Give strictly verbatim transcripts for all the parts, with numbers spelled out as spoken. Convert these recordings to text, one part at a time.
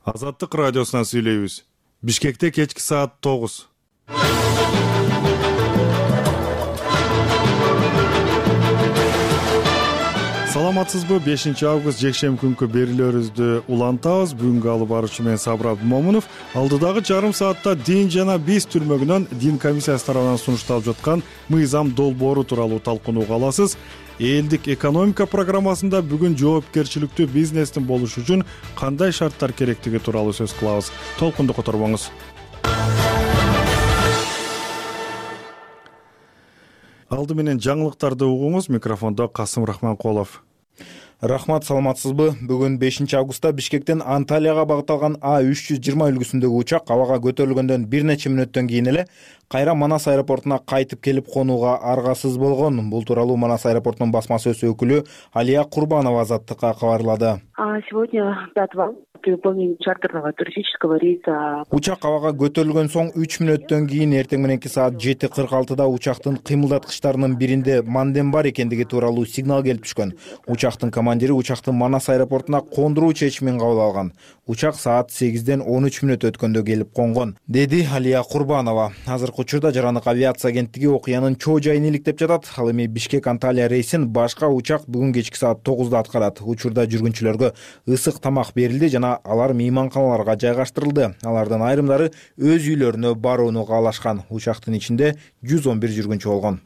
Азаттык радиосунан сүйлөйбүз. Бишкекте кечки саат тогуз. Саламатсызбы? бешинчи август жекшемби күнкү берүүлөрүбүздү улантабыз. Бүгүнкү алып баруучу мен Сабыр Абдымомунов. Алдыдагы жарым саатта Дин жана биз түрмөгүнөн Дин комиссиясы тарабынан сунушталып жаткан мыйзам долбоору тууралуу талкууга аласыз. Элдик экономика программасында бүгүн жоопкерчиликтүү бизнестин болушу үчүн кандай шарттар керектиги тууралуу сөз кылабыз. Толкунду которбоңуз. Алды менен жаңылыктарды угуңуз. Микрофондо Касым Рахманкулов. Рахмат, саламатсызбы? Бүгүн бешинчи августта Бишкектен Анталияга багытталган А үч жүз жыйырма үлгүсүндөгү учак абага көтөрүлгөндөн бир нече мүнөттөн кийин эле кайра Манас аэропортуна кайтып келип конууга аргасыз болгон. Бул тууралуу Манас аэропортунун басма сөз өкүлү Алия Курбанова Азаттыкка кабарлады. Сегодня пятого при выполнении чартерного туристического рейса учак абага көтөрүлгөн соң үч мүнөттөн кийин эртең мененки саат жети кырк алтыда учактын кыймылдаткычтарынын биринде мандем бар экендиги тууралуу сигнал келип түшкөн. Учактын командири учакты Манас аэропортуна кондуруу чечимин кабыл алган. Учак саат сегизден он үч мүнөт өткөндө келип конгон, деди Алия Курбанова. Азыркы учурда Жарандык авиация агенттиги окуянын чоо жайын иликтеп жатат. Ал эми Бишкек Анталия рейсин башка учак бүгүн кечки саат тогузда аткарат. Учурда жүргүнчүлөргө ысык тамак берилди жана алар мейманканаларга жайгаштырылды. Алардын айрымдары өз үйлөрүнө барууну каалашкан. Учактын ичинде жүз он бир жүргүнчү болгон.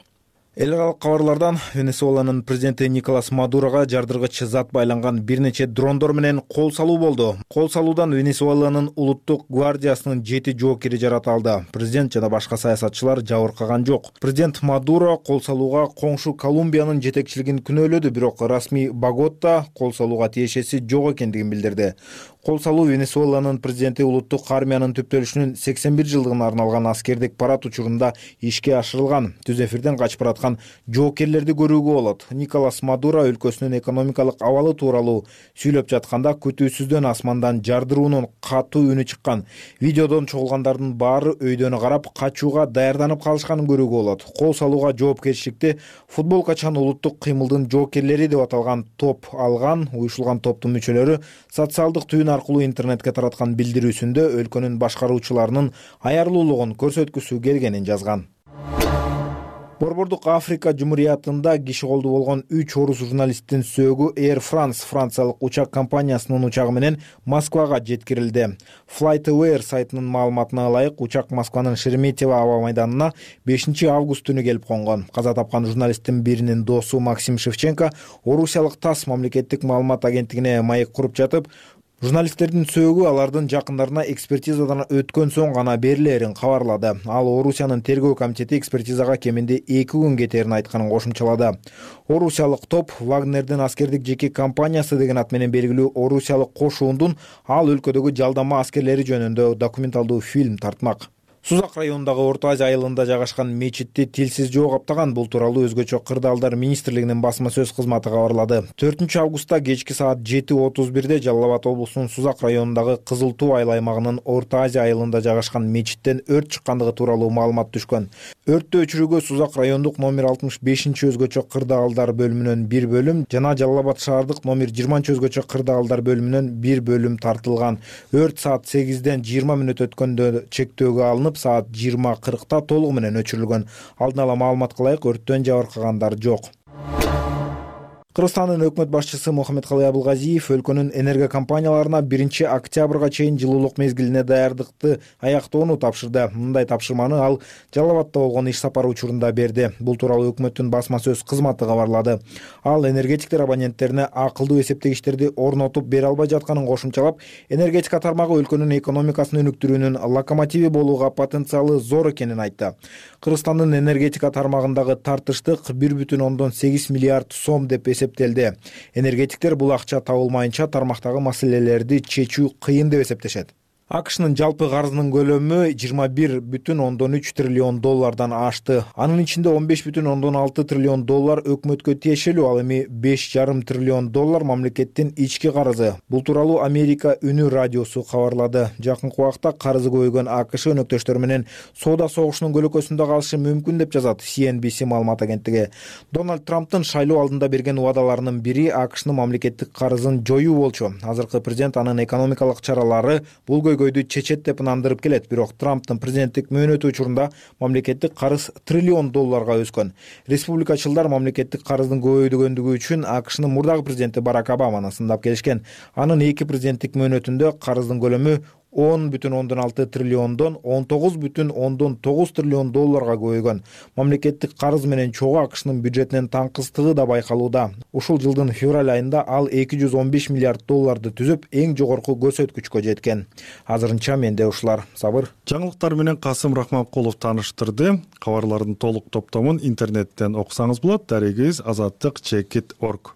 Эл аралык кабарлардан Венесуэланын президенти Николас Мадурога жардыргыч зат байланган бир нече дрондор менен кол салуу болду. Кол салуудан Венесуэланын улуттук гвардиясынын жети жоокери жарат алды. Президент жана башка саясатчылар жабыркаган жок. Президент Мадуро кол салууга коңшу Колумбиянын жетекчилигин күнөөлөдү, бирок расмий Богота кол салууга тиешеси жок экендигин билдирди. Кол салуу Венесуэланын президенти улуттук армиянын түптөлүшүнүн сексен бир жылдыгына арналган аскердик парад учурунда ишке ашырылган. Түз эфирден качып бараткан жоокерлерди көрүүгө болот. Николас Мадуро өлкөсүнүн экономикалык абалы тууралуу сүйлөп жатканда күтүүсүздөн асмандан жардыруунун катуу үнү чыккан. Видеодон чогулгандардын баары өйдөнү карап качууга даярданып калышканын көрүүгө болот. Кол салууга жоопкерчиликти футболкачан улуттук кыймылдын жоокерлери деп аталган топ алган. Уюшулган топтун мүчөлөрү социалдык түйүн аркылуу интернетке тараткан билдирүүсүндө өлкөнүн башкаруучуларынын аярлуулугун көрсөткүсү келгенин жазган. Борбордук Африка Жумуриятында киши колду болгон үч орус журналисттин сөөгү Air France франциялык учак компаниясынын учагы менен Москвага жеткирилди. FlightAware сайтынын маалыматына ылайык, учак Москванын Шереметьево аба майданына бешинчи август түнү келип конгон. Каза тапкан журналисттин биринин досу Максим Шевченко орусиялык ТАСС мамлекеттик маалымат агенттигине маек куруп жатып, журналисттердин сөөгү алардын жакындарына экспертизадан өткөн соң гана берилерин кабарлады. Ал Орусиянын тергөө комитети экспертизага кеминде эки күн кетерин айтканын кошумчалады. Орусиялык топ Вагнердин аскердик жеке компаниясы деген ат менен белгилүү орусиялык кошуундун ал өлкөдөгү жалдама аскерлери жөнүндө документалдуу фильм тартмак. Сузак районундагы Орто Азия айылында жайгашкан мечитти тилсиз жоо каптаган. Бул тууралуу Өзгөчө кырдаалдар министрлигинин басма сөз кызматы кабарлады. төртүнчү августта кечки саат жети отуз бирде Жалал Абад облусунун Сузак районундагы Кызыл Туу айыл аймагынын Орто Азия айылында жайгашкан мечиттен өрт чыккандыгы тууралуу маалымат түшкөн. Өрттү өчүрүүгө Сузак райондук номер алтымыш бешинчи Өзгөчө кырдаалдар бөлүмүнөн бир бөлүм жана Жалал Абад шаардык номер жыйырманчы Өзгөчө кырдаалдар бөлүмүнөн бир бөлүм тартылган. Өрт саат сегизден жыйырма мүнөт өткөндө чектөөгө алынып, саат жыйырма кыркта толугу менен өчүрүлгөн. Алдын ала маалыматка ылайык, өрттөн жабыркагандар жок. Кыргызстандын өкмөт башчысы Мухаммедкалый Абылгазиев өлкөнүн энерго компанияларына биринчи октябрга чейин жылуулук мезгилине даярдыкты аяктоону тапшырды. Мындай тапшырманы ал Жалал Абадда болгон иш сапары учурунда берди. Бул тууралуу өкмөттүн басма сөз кызматы кабарлады. Ал энергетиктер абоненттерине акылдуу эсептегичтерди орнотуп бере албай жатканын кошумчалап, энергетика тармагы өлкөнүн экономикасын өнүктүрүүнүн локомотиви болууга потенциалы зор экенин айтты. Кыргызстандын энергетика тармагындагы тартыштык бир бүтүн ондон сегиз миллиард сом деп эсептелди. Энергетиктер бул акча табылмайынча тармактагы маселелерди чечүү кыйын деп эсептешет. АКШнын жалпы карызынын көлөмү жыйырма бир бүтүн ондон үч триллион доллардан ашты. Анын ичинде он беш бүтүн ондон алты триллион доллар өкмөткө тиешелүү, ал эми беш жарым триллион доллар мамлекеттин ички карызы. Бул тууралуу Америка үнү радиосу кабарлады. Жакынкы убакта карызы көбөйгөн АКШ өнөктөштөрү менен соода согушунун көлөкөсүндө калышы мүмкүн деп жазат си эн би си маалымат агенттиги. Дональд Трамптын шайлоо алдында берген убадаларынын бири АКШнын мамлекеттик карызын жоюу болчу. Азыркы президент анын экономикалык чаралары бул көйгөйдү чечет деп ынандырып келет. Бирок Трамптын президенттик мөөнөтү учурунда мамлекеттик карыз триллион долларга өскөн. Республикачылдар мамлекеттик карыздын көбөйгөндүгү үчүн АКШнын мурдагы президенти Барак Обаманы сындап келишкен. Анын эки президенттик мөөнөтүндө карыздын көлөмү он бүтүн ондон алты триллиондон он тогуз бүтүн ондон тогуз триллион долларга көбөйгөн. Мамлекеттик карыз менен чогуу АКШнын бюджетинин таңкыстыгы да байкалууда. Ушул жылдын февраль айында ал эки жүз он беш миллиард долларды түзүп, эң жогорку көрсөткүчкө жеткен. Азырынча менде ушулар. Сабыр. Жаңылыктар менен Касым Рахманкулов тааныштырды. Кабарлардын толук топтомун интернеттен окусаңыз болот. Дарегибиз азаттык чекит точка орг.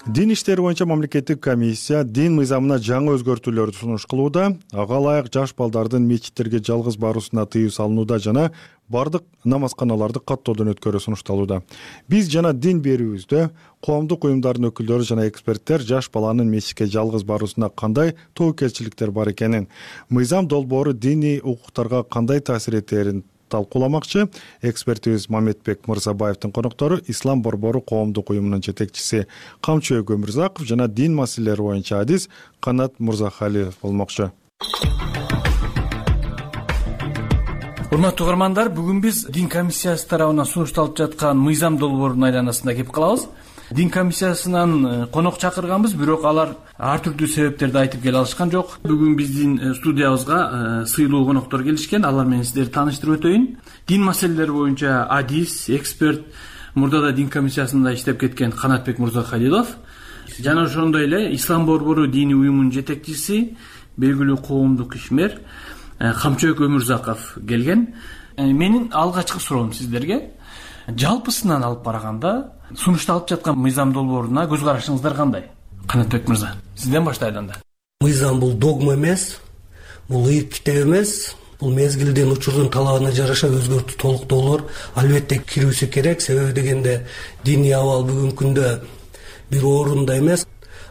Дин иштери боюнча мамлекеттик комиссия дин мыйзамына жаңы өзгөртүүлөрдү сунуш кылууда. Ага ылайык жаш балдардын мечиттерге жалгыз баруусуна тыюу салынууда жана бардык намазканаларды каттоодон өткөрүү сунушталууда. Биз жана дин берүүбүздө коомдук уюмдардын өкүлдөрү жана эксперттер жаш баланын мечитке жалгыз баруусуна кандай тобокелчиликтер бар экенин, мыйзам долбоору диний укуктарга кандай таасир этерин талкууламакчы. Экспертибиз Мамедбек Мырзабаевдин коноктору Ислам борбору коомдук уюмунун жетекчиси Камчыбек Өмүрзаков жана дин маселелери боюнча адис Канат Мырзахалиев болмокчу. Урматтуу угармандар, бүгүн биз дин комиссиясы тарабынан сунушталып жаткан мыйзам долбоорунун айланасында кеп калабыз. Дин комиссиясынан конок чакырганбыз, бирок алар ар түрдүү себептерди айтып келе алышкан жок. Бүгүн биздин студиябызга сыйлуу коноктор келишкен. Алар менен сиздерди тааныштырып өтөйүн. Дин маселелери боюнча адис, эксперт, мурда да дин комиссиясында иштеп кеткен Канатбек Мырзахалилов жана ошондой эле Ислам борбору диний уюмунун жетекчиси, белгилүү коомдук ишмер Камчыбек Өмүрзаков келген. Менин алгачкы суроом сиздерге, жалпысынан алып караганда сунушталып жаткан мыйзам долбооруна көз карашыңыздар кандай? Канатбек мырза, сизден баштайлы анда. Мыйзам бул догма эмес, бул ыйык китеп эмес, бул мезгилдин учурдун талабына жараша өзгөртүү толуктоолор албетте кирүүсү керек. Себеби дегенде диний абал бүгүнкү күндө бир орунда эмес,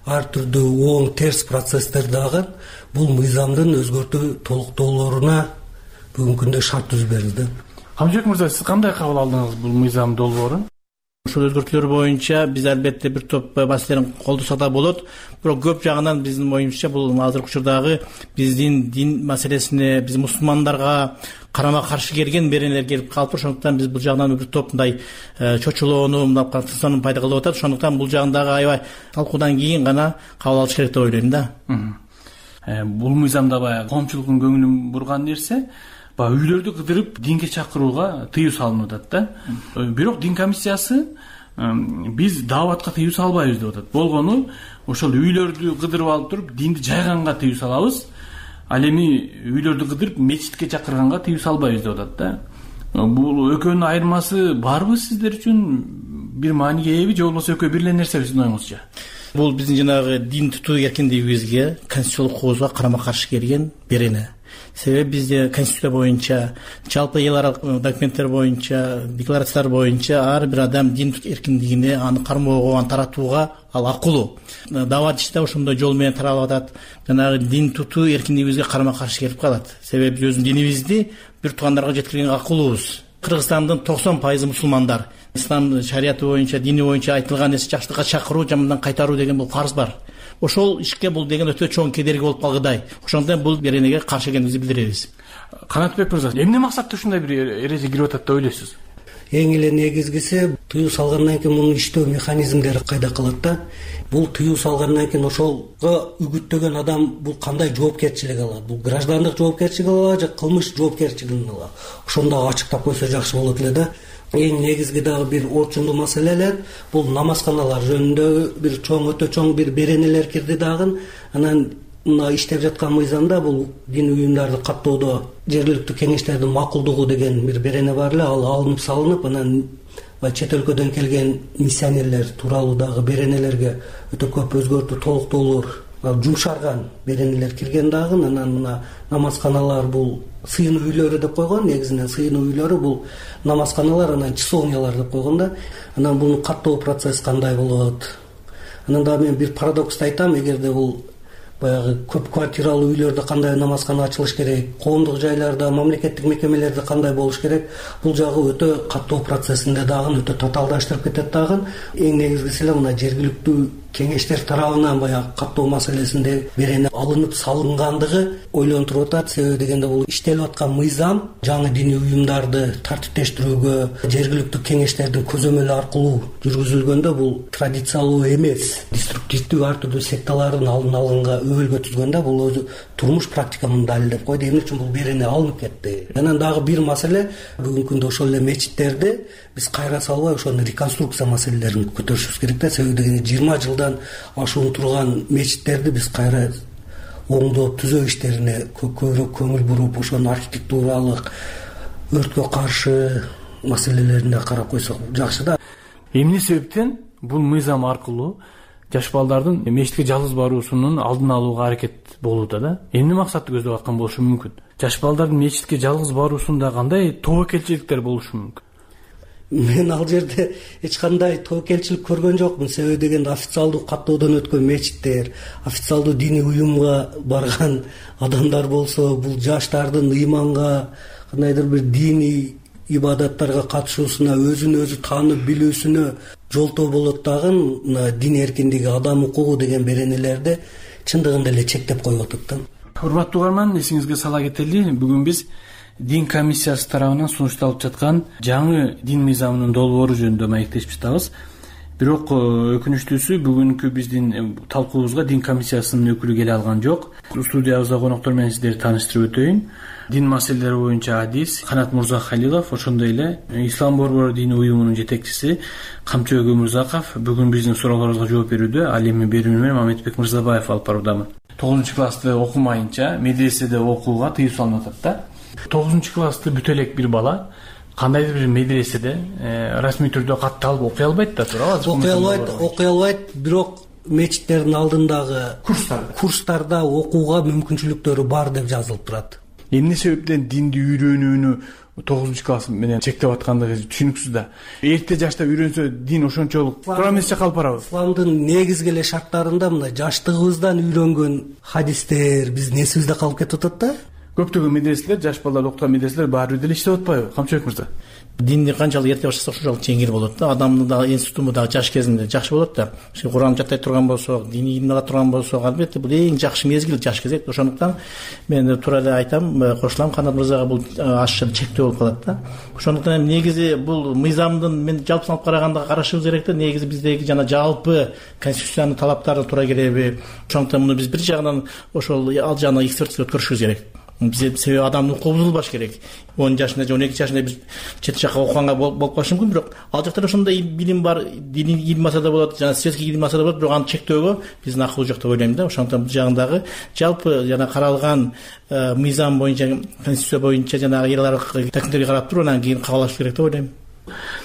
ар түрдүү оң терс процесстер дагы бул мыйзамдын өзгөртүү толуктоолоруна бүгүнкү күндө шарт түзүп берилди. Камчыбек мырза, сиз кандай кабыл алдыңыз бул мыйзам долбоорун? Ушул өзгөртүүлөр боюнча биз албетте бир топ маселелерин колдосок да болот. Бирок көп жагынан биздин оюмча бул азыркы учурдагы биздин дин маселесине, биз мусулмандарга карама каршы келген беренелер келип калып, ошондуктан биз бул жагынан бир топ мындай чочулоону, мындай катысууну пайда кылып атат. Ошондуктан бул жагындагы аябай талкуудан кийин гана кабыл алыш керек деп ойлойм да. Бул мыйзамда баягы коомчулуктун көңүлүн бурган нерсе, баягы үйлөрдү кыдырып динге чакырууга тыюу салынып атат да. Бирок дин комиссиясы биз дааватка тыюу салбайбыз деп атат. Болгону ошол үйлөрдү кыдырып алып туруп динди жайганга тыюу салабыз. Ал эми үйлөрдү кыдырып мечитке чакырганга тыюу салбайбыз деп атат да. Бул экөөнүн айырмасы барбы сиздер үчүн? Бир мааниге ээби же болбосо экөө бир эле нерсеби сиздин оюңузча? Бул биздин жанагы дин тутуу эркиндигибизге, конституциялык кооздуга карама каршы келген берене. Себеби бизде конституция боюнча, жалпы эл аралык документтер боюнча, декларациялар боюнча ар бир адам дин эркиндигине, аны кармоого, аны таратууга ал акылуу. Даават иши да ошондой жол менен таралып атат. Жанагы дин тутуу эркиндигибизге карама каршы келип калат. Себеби биз өзүбүздүн динибизди бир туугандарга жеткиргенге акылуубуз. Кыргызстандын токсон пайызы мусулмандар. Ислам шарияты боюнча, дини боюнча айтылган нерсе жакшылыкка чакыруу, жамандан кайтаруу деген бул фарз бар. Ошол ишке бул деген өтө чоң кедерги болуп калгыдай. Ошондон бул беренеге каршы экенибизди билдиребиз. Канатбек мырза, эмне максатта ушундай бир эреже кирип атат деп ойлойсуз? Эң эле негизгиси тыюу салгандан кийин мунун иштөө механизмдери кайда калат да. Бул тыюу салгандан кийин ошолго үгүттөгөн адам бул кандай жоопкерчилик алат? Бул граждандык жоопкерчилик алабы же кылмыш жоопкерчилигин алабы? Ошондо ачыктап койсо жакшы болот эле да. Эң негизги дагы бир орчундуу маселелер бул намазканалар жөнүндө бир чоң, өтө чоң бир беренелер кирди дагы. Анан мына иштеп жаткан мыйзамда бул дин уюмдарды каттоодо жергиликтүү кеңештердин макулдугу деген бир берене бар эле, ал алынып салынып, анан баягы чет өлкөдөн келген миссионерлер тууралуу дагы беренелерге өтө көп өзгөртүү толуктоолор, жумшарган беренелер кирген дагы. Анан мына намазканалар бул сыйынуу үйлөрү деп койгон. Негизинен сыйынуу үйлөрү бул намазканалар, анан часовнялар деп койгон да. Анан бунун каттоо процесс кандай болот? Анан дагы мен бир парадоксту айтам. Эгерде бул баягы көп квартиралуу үйлөрдө кандай намазкана ачылыш керек, коомдук жайларда, мамлекеттик мекемелерде кандай болуш керек, бул жагы өтө каттоо процессинде дагы өтө татаалдаштырып кетет дагы. Эң негизгиси эле мына жергиликтүү кеңештер тарабынан баягы каттоо маселесинде берене алынып салынгандыгы ойлонтуруп атат. Себеби дегенде бул иштелип аткан мыйзам жаңы диний уюмдарды тартиптештирүүгө жергиликтүү кеңештердин көзөмөлү аркылуу жүргүзүлгөндө бул традициялуу эмес, деструктивдүү ар түрдүү секталардын алдын алганга өбөлгө түзгөн да. Бул өзү турмуш практиканын далилдеп койду. Эмне үчүн бул берене алынып кетти? Анан дагы бир маселе, бүгүнкү күндө ошол эле мечиттерди биз кайра салбай ошону реконструкция маселелерин көтөрүшүбүз керек да. Себеби дегенде жыйырма жылдан ашуун турган мечиттерди биз кайра оңдоп түзөө иштерине көбүрөөк көңүл буруп, ошонун архитектуралык, өрткө каршы маселелерине карап койсок жакшы да. Эмне себептен бул мыйзам аркылуу жаш балдардын мечитке жалгыз баруусунун алдын алууга аракет болууда да? Эмне максатты көздөп аткан болушу мүмкүн? Жаш балдардын мечитке жалгыз баруусунда кандай тобокелчиликтер болушу мүмкүн? Мен ал жерде эч кандай тобокелчилик көргөн жокмун. Себеби дегенде официалдуу каттоодон өткөн мечиттер, официалдуу диний уюмга барган адамдар болсо, бул жаштардын ыйманга, кандайдыр бир диний ибадаттарга катышуусуна, өзүн өзү таанып билүүсүнө жолтоо болот дагы. Мына дин эркиндиги, адам укугу деген беренелерди чындыгында эле чектеп коюп атат да. Урматтуу угарман, эсиңизге сала кетели, бүгүн биз дин комиссиясы тарабынан сунушталып жаткан жаңы дин мыйзамынын долбоору жөнүндө маектешип жатабыз. Бирок өкүнүчтүүсү бүгүнкү биздин талкуубузга дин комиссиясынын өкүлү келе алган жок. Студиябызда коноктор менен сиздерди тааныштырып өтөйүн. Дин маселелери боюнча адис Канат Мурзахалилов, ошондой эле Ислам борбору диний уюмунун жетекчиси Камчыбек Өмүрзаков бүгүн биздин суроолорубузга жооп берүүдө. Ал эми берүүнү менен Мамедбек Мырзабаев алып баруудамын. тогузунчу классты окумайынча медреседе окууга тыюу салынып атат да. тогузунчу классты бүтө элек бир бала кандайдыр бир медреседе расмий түрдө катталып окуй албайт да, туурабы? Окуй албайт, окуй албайт, бирок мечиттердин алдындагы курстарда курстарда окууга мүмкүнчүлүктөрү бар деп жазылып турат. Эмне себептен динди үйрөнүүнү тогузунчу класс менен чектеп аткандыгы түшүнүксүз да. Эрте жашта үйрөнсө дин ошончолук туура эмес калып барабыз. Исламдын негизги эле шарттарында мына жаштыгыбыздан үйрөнгөн хадистер биздин эсибизде калып кетип атат да. Көптөгөн медреселер, жаш балдар окуткан медреселер баары бир деле иштеп атпайбы, Камчыбек мырза? Динди канчалык эрте баштасак ошончолук жеңил болот да. Адамдын дагы институту дагы жаш кезинде жакшы болот да. Куран жаттай турган болсок, диний илим ала турган болсок, албетте бул эң жакшы мезгил, жаш кезек. Ошондуктан мен туура эле айтам, кошулам, Канат мырзага бул ашча чектөө болуп калат да. Ошондуктан негизи бул мыйзамдын мен жалпысын алып караганда карашыбыз керек да. Негизи биздеги жана жалпы конституциянын талаптарына туура келеби? Ошондуктан муну биз бир жагынан ошол ал жагына экспертиза өткөрүшүбүз керек. Биз себеби адамдын укугу бузулбаш керек. он жашында же он эки жашында биз чет жакка окуганга болуп калышы мүмкүн, бирок ал жакта ошондой билим бар, диний илим алса да болот, жана светский илим алса да болот, бирок аны чектөөгө биздин акыл жок деп ойлойм да. Ошондуктан бул жагындагы жалпы жана каралган мыйзам боюнча, конституция боюнча жанагы эл аралык такмиттерге карап туруп анан кийин кабыл алыш керек деп ойлойм.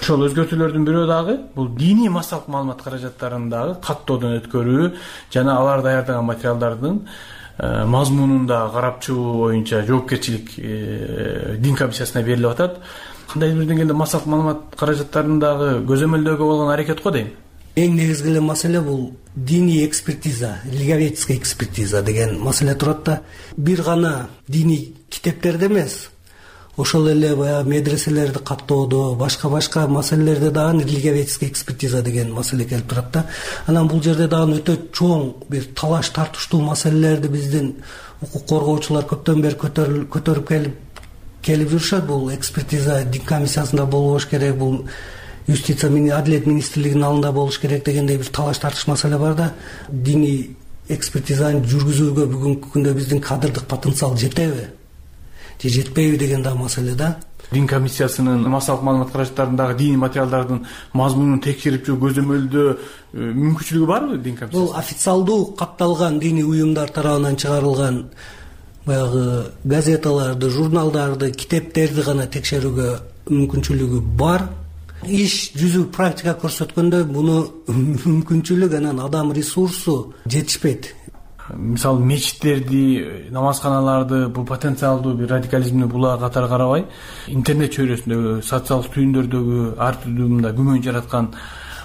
Ошол өзгөртүүлөрдүн бирөө дагы бул диний массалык маалымат каражаттарын дагы каттоодон өткөрүү жана алар даярдаган материалдардын мазмунунда карап чыгуу боюнча жоопкерчилик дин комиссиясына берилип атат. Кандайдыр бир деңгээлде массалык маалымат каражаттарын дагы көзөмөлдөөгө болгон аракет го дейм. Эң негизги эле маселе бул диний экспертиза, религиоведческий экспертиза деген маселе турат да. Бир гана диний китептерде эмес, ошол эле баягы медреселерди каттоодо, башка-башка маселелерде дагы религиоведческий экспертиза деген маселе келип турат да. Анан бул жерде дагы өтө чоң бир талаш тартыштуу маселелерди биздин укук коргоочулар көптөн бери көтөрүп келип келип жүрүшөт. Бул экспертиза дин комиссиясында болбош керек, бул юстиция менен Адилет министрлигинин алдында болуш керек дегендей бир талаш тартыш маселе бар да. Диний экспертизаны жүргүзүүгө бүгүнкү күндө биздин кадрдык потенциал жетеби? Же жетпейби деген да маселе да. Дин комиссиясынын массалык маалымат каражаттарындагы диний материалдардын мазмунун текшерип жүрүп көзөмөлдөө мүмкүнчүлүгү барбы дин комиссиясы? Бул официалдуу катталган диний уюмдар тарабынан чыгарылган баягы газеталарды, журналдарды, китептерди гана текшерүүгө мүмкүнчүлүгү бар. иш жүзү практика көрсөткөндөй муну мүмкүнчүлүк анан адам ресурсу жетишпейт. Мисалы мечиттерди, намазканаларды бул потенциалдуу бир радикализмди булаа катары карабай, интернет чөйрөсүндөгү, социалдык түйүндөрдөгү ар түрдүү мындай күмөн жараткан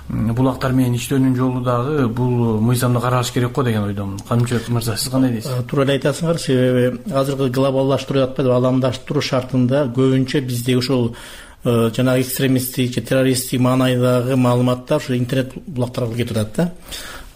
булактар менен иштөөнүн жолу дагы бул мыйзамды караш керек го деген ойдомун. Камчыбек мырза, сиз кандай дейсиз? Туура эле айтасыңар, себеби азыркы глобалдаштыруу деп атпайбы, аламдаштыруу шартында көбүнчө бизде ушул жанагы экстремисттик же террористтик маанайдагы маалыматтар ушу интернет булактарга кетип атат да.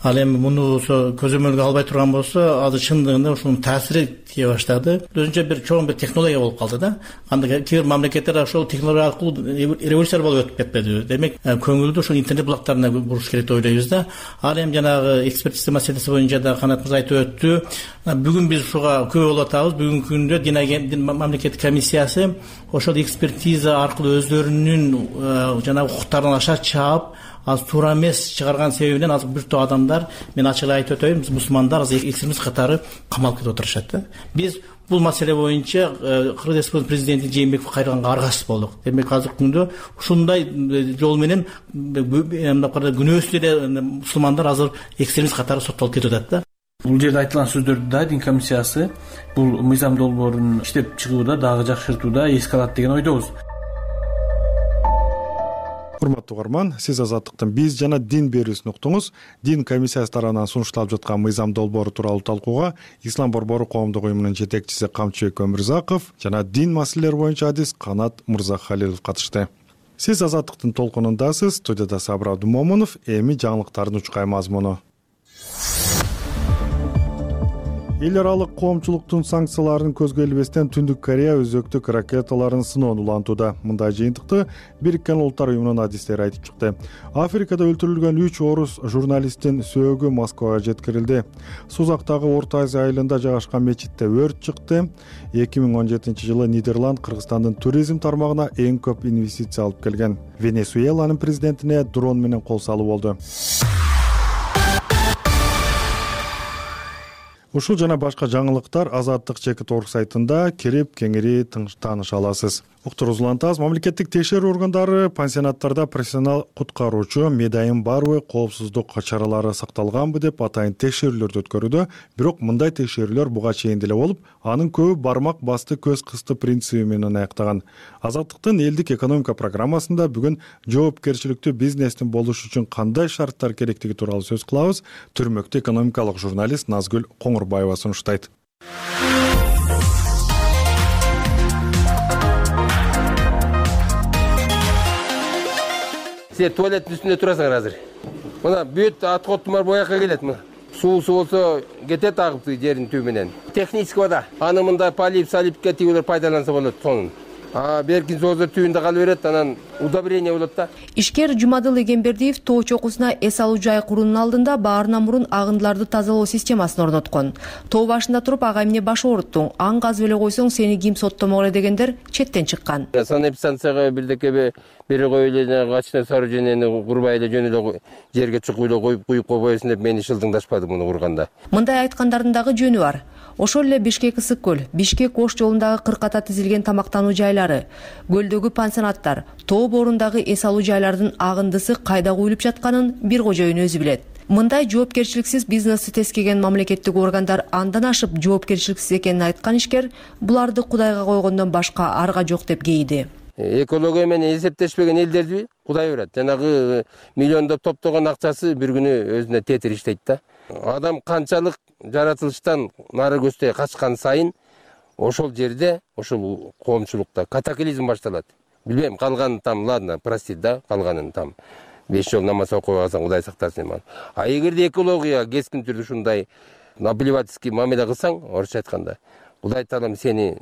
Ал эми муну көзөмөлгө албай турган болсо, азыр чындыгында ушунун таасири тие баштады. Өзүнчө бир чоң бир технология болуп калды да. Анда кээ бир мамлекеттер ошол технология аркылуу революция болуп өтүп кетпеди. Демек, көңүлдү ушул интернет булактарына буруш керек деп ойлойбуз да. Ал эми жанагы экспертиза маселеси боюнча да Канат мырза айтып өттү. Бүгүн биз ушуга күбө болуп атабыз. Бүгүнкү күндө дин мамлекеттик комиссиясы ошол экспертиза аркылуу өздөрүнүн жанагы укуктарын аша чаап, аз туура эмес чыгарган себебинен азыр бир топ адамдар, мен ачык эле айтып өтөйүн, мусулмандар азыр экстремист катары камалып кетип отурушат да. Биз бул маселе боюнча Кыргыз Республикасынын президенти Жээнбеков кайрганга аргасыз болдук. Демек азыркы күндө ушундай жол менен мындай күнөөсүз эле мусулмандар азыр экстремист катары соттолуп кетип атат да. Бул жерде айтылган сөздөрдү да дин комиссиясы бул мыйзам долбоорун иштеп чыгууда дагы жакшыртууда эске алат деген ойдобуз. Урматтуу угарман, сиз Азаттыктын биз жана дин берүүсүн уктуңуз. Дин комиссиясы тарабынан сунушталып жаткан мыйзам долбоору тууралуу талкууга Ислам борбору коомдук уюмунун жетекчиси Камчыбек Өмүрзаков жана дин маселелери боюнча адис Канат Мырзахалилов катышты. Сиз Азаттыктын толкунундасыз. Студияда Сабыр Абдумомунов. Эми жаңылыктардын учкай мазмуну. Эл аралык коомчулуктун санкцияларын көзгө илбестен Түндүк Корея өзөктүк ракеталарын сыноон улантууда. Мындай жыйынтыкты Бириккен Улуттар уюмунун адистери айтып чыкты. Африкада өлтүрүлгөн үч орус журналисттин сөөгү Москвага жеткирилди. Сузактагы Орто Азия айылында жайгашкан мечитте өрт чыкты. эки миң он жетинчи жылы Нидерланд Кыргызстандын туризм тармагына эң көп инвестиция алып келген. Венесуэланын президентине дрон менен кол салуу болду. Ушул жана башка жаңылыктар Азаттык чекит орг сайтында кирип кеңири тааныша аласыз. Уктуруз улантабыз. Мамлекеттик текшерүү органдары пансионаттарда профессионал куткаруучу медайым барбы, коопсуздук чаралары сакталганбы деп атайын текшерүүлөрдү өткөрүүдө. Бирок мындай текшерүүлөр буга чейин деле болуп, анын көбү бармак басты көз кысты принциби менен аяктаган. Азаттыктын элдик экономика программасында бүгүн жоопкерчиликтүү бизнестин болуш үчүн кандай шарттар керектиги тууралуу сөз кылабыз. Түрмөктүү экономикалык журналист Назгүл Коңурбаева сунуштайт. Сен туалеттин үстүндө турасыңар азыр. Мына бүт аткоттумар боякка келет. Суусу болсо кетет агып жердин түбү менен. Технический вода. Аны мындай полип, салипке тигилер пайдаланса болот сонун. А беркин соозор түбүндө калып берет, анан удобрение болот да. Ишкер Жумадыл Эгембердиев тоо чокусуна эс алуу жай куруунун алдында баарынан мурун агындыларды тазалоо системасын орноткон. Тоо башында туруп ага эмне баш ооруттуң, аң казып эле койсоң сени ким соттомок эле дегендер четтен чыккан. Санэпидстанцияга бирдеке бери коюп эле качына сооружениени курбай эле жөн эле жерге чукуп эле коюп куюп койбойсуң деп мени шылдыңдашпады муну курганда. Мындай айткандардын дагы жөнү бар. Ошол эле Бишкек Ысык көл, Бишкек Ош жолундагы кырката тизилген тамактануу жайлары, көлдөгү пансионаттар, тоо боорундагы эс алуу жайлардын агындысы кайда куюлуп жатканын бир кожоюн өзү билет. Мындай жоопкерчиликсиз бизнести тескеген мамлекеттик органдар андан ашып жоопкерчиликсиз экенин айткан ишкер буларды Кудайга койгондон башка арга жок деп кейди. Экология менен эсептешпеген элдерди Кудай берет. Жанагы миллиондоп топтогон акчасы бир күнү өзүнө тетир иштейт да. Адам канчалык жаратылыштан нары көздөй качкан сайын ошол жерде, ошол коомчулукта катаклизм башталат. Билбейм, калганын там, ладно, простит да, калганын там беш жол намаз окуп алсаң Кудай сактасын. А эгерде экология кескин түрдө ушундай наплевательский мамиле кылсаң, орусча айтканда, Кудай Таалам сени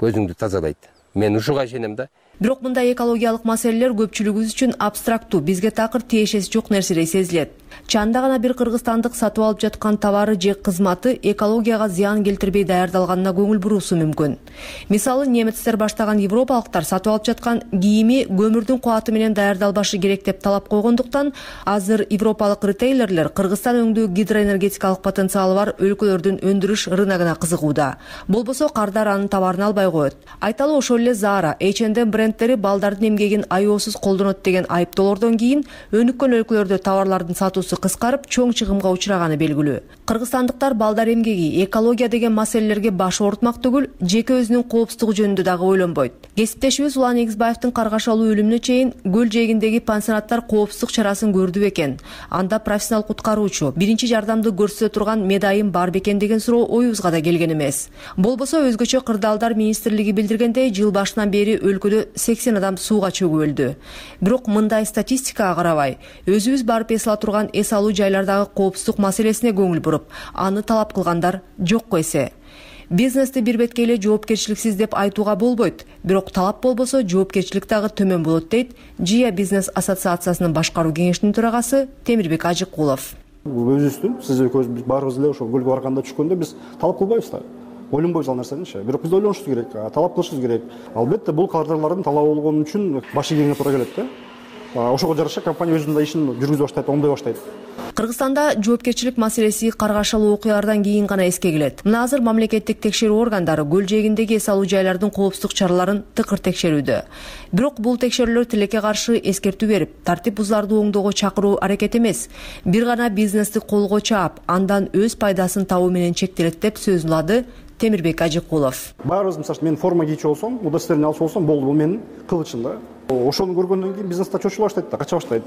көзүңдү тазалайт. Мен ушуга ишенем да. Бирок мындай экологиялык маселелер көпчүлүгүбүз үчүн абстрактуу, бизге такыр тиешеси жок нерседей сезилет. Чанда гана бир кыргызстандык сатып алып жаткан товары же кызматы экологияга зыян келтирбей даярдалганына көңүл буруусу мүмкүн. Мисалы, немецтер баштаган европалыктар сатып алып жаткан кийими көмүрдүн кубаты менен даярдалбашы керек деп талап койгондуктан, азыр европалык ритейлерлер Кыргызстан өңдүү гидроэнергетикалык потенциалы бар өлкөлөрдүн өндүрүш рыногуна кызыгууда. Болбосо кардар анын товарын албай коет. Айталы ошол эле Zara, эйч энд эм бренд бренддери балдардын эмгегин аеосуз колдонот деген айыптоолордон кийин өнүккөн өлкөлөрдө товарлардын сатуусу кыскарып чоң чыгымга учураганы белгилүү. Кыргызстандыктар балдар эмгеги, экология деген маселелерге баш оорутмак түгүл, жеке өзүнүн коопсуздугу жөнүндө дагы ойлонбойт. Кесиптешибиз Улан Эгизбаевдин каргашалуу өлүмүнө чейин көл жээгиндеги пансионаттар коопсуздук чарасын көрдү бекен? Анда профессионал куткаруучу, биринчи жардамды көрсөтө турган медайым бар бекен деген суроо оюбузга да келген эмес. Болбосо өзгөчө кырдаалдар министрлиги билдиргендей, жыл башынан бери өлкөдө сексен адам сууга чөгүп өлдү. Бирок мындай статистикага карабай, өзүбүз барып эс ала турган эс алуу жайлардагы коопсуздук маселесине көңүл буруп, аны талап кылгандар жокко эсе. Бизнести бир бетке эле жоопкерчиликсиз деп айтууга болбойт, бирок талап болбосо жоопкерчилик дагы төмөн болот дейт Жия бизнес ассоциациясынын башкаруу кеңешинин төрагасы Темирбек Ажыкулов. Өзүбүздүн, сиз экөөбүз, биз баарыбыз эле ошол көлгө барганда түшкөндө биз талап кылбайбыз да. Ойлонбойбуз ал нерсеничи. Бирок биз ойлонушубуз керек, талап кылышыбыз керек. Албетте бул кардарлардын талабы болгон үчүн баш ийгенге туура келет да. Ошого жараша компания өзүнүн ишин жүргүзө баштайт, оңдой баштайт. Кыргызстанда жоопкерчилик маселеси каргашалуу окуялардан кийин гана эске келет. Мына азыр мамлекеттик текшерүү органдары көл жээгиндеги эс алуу жайлардын коопсуздук чараларын тыкыр текшерүүдө. Бирок бул текшерүүлөр тилекке каршы эскертүү берип, тартип бузууларды оңдоого чакыруу аракет эмес, бир гана бизнести колго чаап, андан өз пайдасын табуу менен чектелет деп сөзүн улады Темирбек Ажыкулов. Баарыбыз, мисалы, мен форма кийчү болсом, удостоверение алчу болсом, болду, бул менин кылычым да. Ошону көргөндөн кийин бизнесте чочула баштайт да, кача баштайт.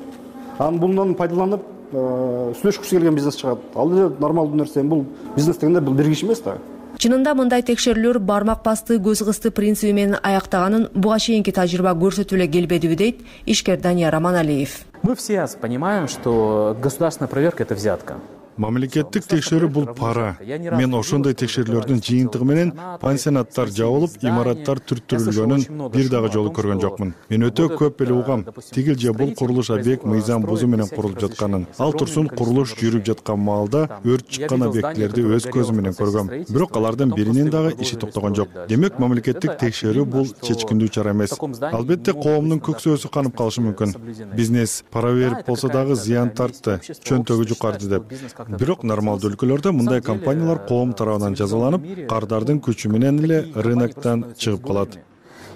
Анан bundan пайдаланып, сүйлөшкүсү келген бизнес чыгат. Ал эле нормалдуу нерсе, бул бизнес дегенде бул бир киши эмес да. Чынында мындай текшерүүлөр бармак басты, көз кысты принциби менен аяктаганын буга чейинки тажрыйба көрсөтүп эле келбедиби дейт ишкер Данияр Аманалиев. Мы все понимаем, что государственная проверка — это взятка. Мамлекеттик текшерүү бул пара. Мен ошондой текшерүүлөрдүн жыйынтыгы менен пансионаттар жабылып, имараттар түрттүрүлгөнүн бир дагы жолу көргөн жокмун. Мен өтө көп эле угам. Тигил же бул курулуш объект мыйзам бузуу менен курулуп жатканын. Ал турсун курулуш жүрүп жаткан маалда өрт чыккан объектилерди өз көзүм менен көргөм. Бирок алардын биринин дагы иши токтогон жок. Демек, мамлекеттик текшерүү бул чечкиндүү чара эмес. Албетте, коомдун көксөөсү канып калышы мүмкүн. Бизнес пара берип болсо дагы зыян тартты, чөнтөгү жукарды деп. Бирок нормалдуу өлкөлөрдө мындай компаниялар коом тарабынан жазаланып, кардардын күчү менен эле рыноктон чыгып калат.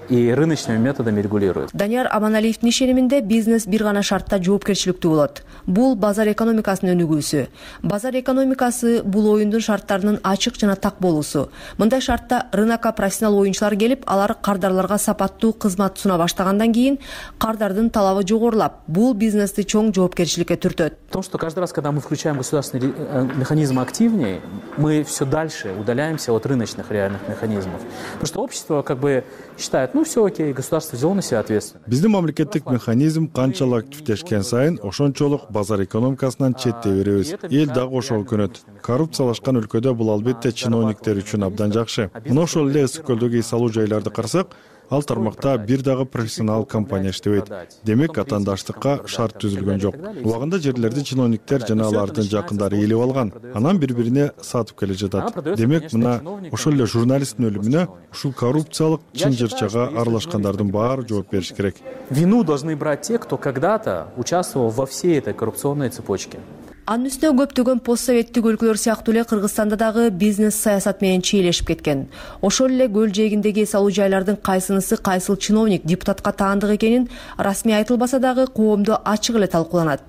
И рыночными методами регулируют. Данияр Аманалиевдин ишениминде бизнес бир гана шартта жоопкерчиликтүү болот. Бул базар экономикасынын өнүгүүсү. Базар экономикасы бул оюндун шарттарынын ачык жана так болуусу. Мындай шартта рынокко профессионал оюнчулар келип, алар кардарларга сапаттуу кызмат суна баштагандан кийин кардардын талабы жогорулап, бул бизнести чоң жоопкерчиликке түртөт. В том, что каждый раз, когда мы включаем государственный механизм активнее, мы все дальше удаляемся от рыночных реальных механизмов. Потому что общество как бы считает, ну все окей, государство взяло на себя ответственность. Биздин мамлекеттик механизм канчалык активдешкен сайын ошончолук базар экономикасынан четте беребиз. Эл дагы ошого көнөт. Коррупциялашкан өлкөдө бул албетте чиновниктер үчүн абдан жакшы. Мына ошол эле ысык көлдөгү эс алуу жайларды карасак, ал тармакта бир дагы профессионал компания иштебейт. Демек, атаандаштыкка шарт түзүлгөн жок. Убагында жерлерди чиновниктер жана алардын жакындары ээлеп алган, анан бири-бирине сатып келе жатат. Демек, мына ошол эле журналисттин өлүмүнө ушул коррупциялык чын-жырчага аралашкандардын баары жооп бериш керек. Вину должны брать те, кто когда-то участвовал во всей этой коррупционной цепочке. Анын үстүнө көптөгөн постсоветтик өлкөлөр сыяктуу эле Кыргызстанда дагы бизнес саясат менен чийлешип кеткен. Ошол эле көл жээгиндеги эс алуу жайлардын кайсынысы кайсыл чиновник, депутатка таандык экенин расмий айтылбаса дагы коомдо ачык эле талкууланат.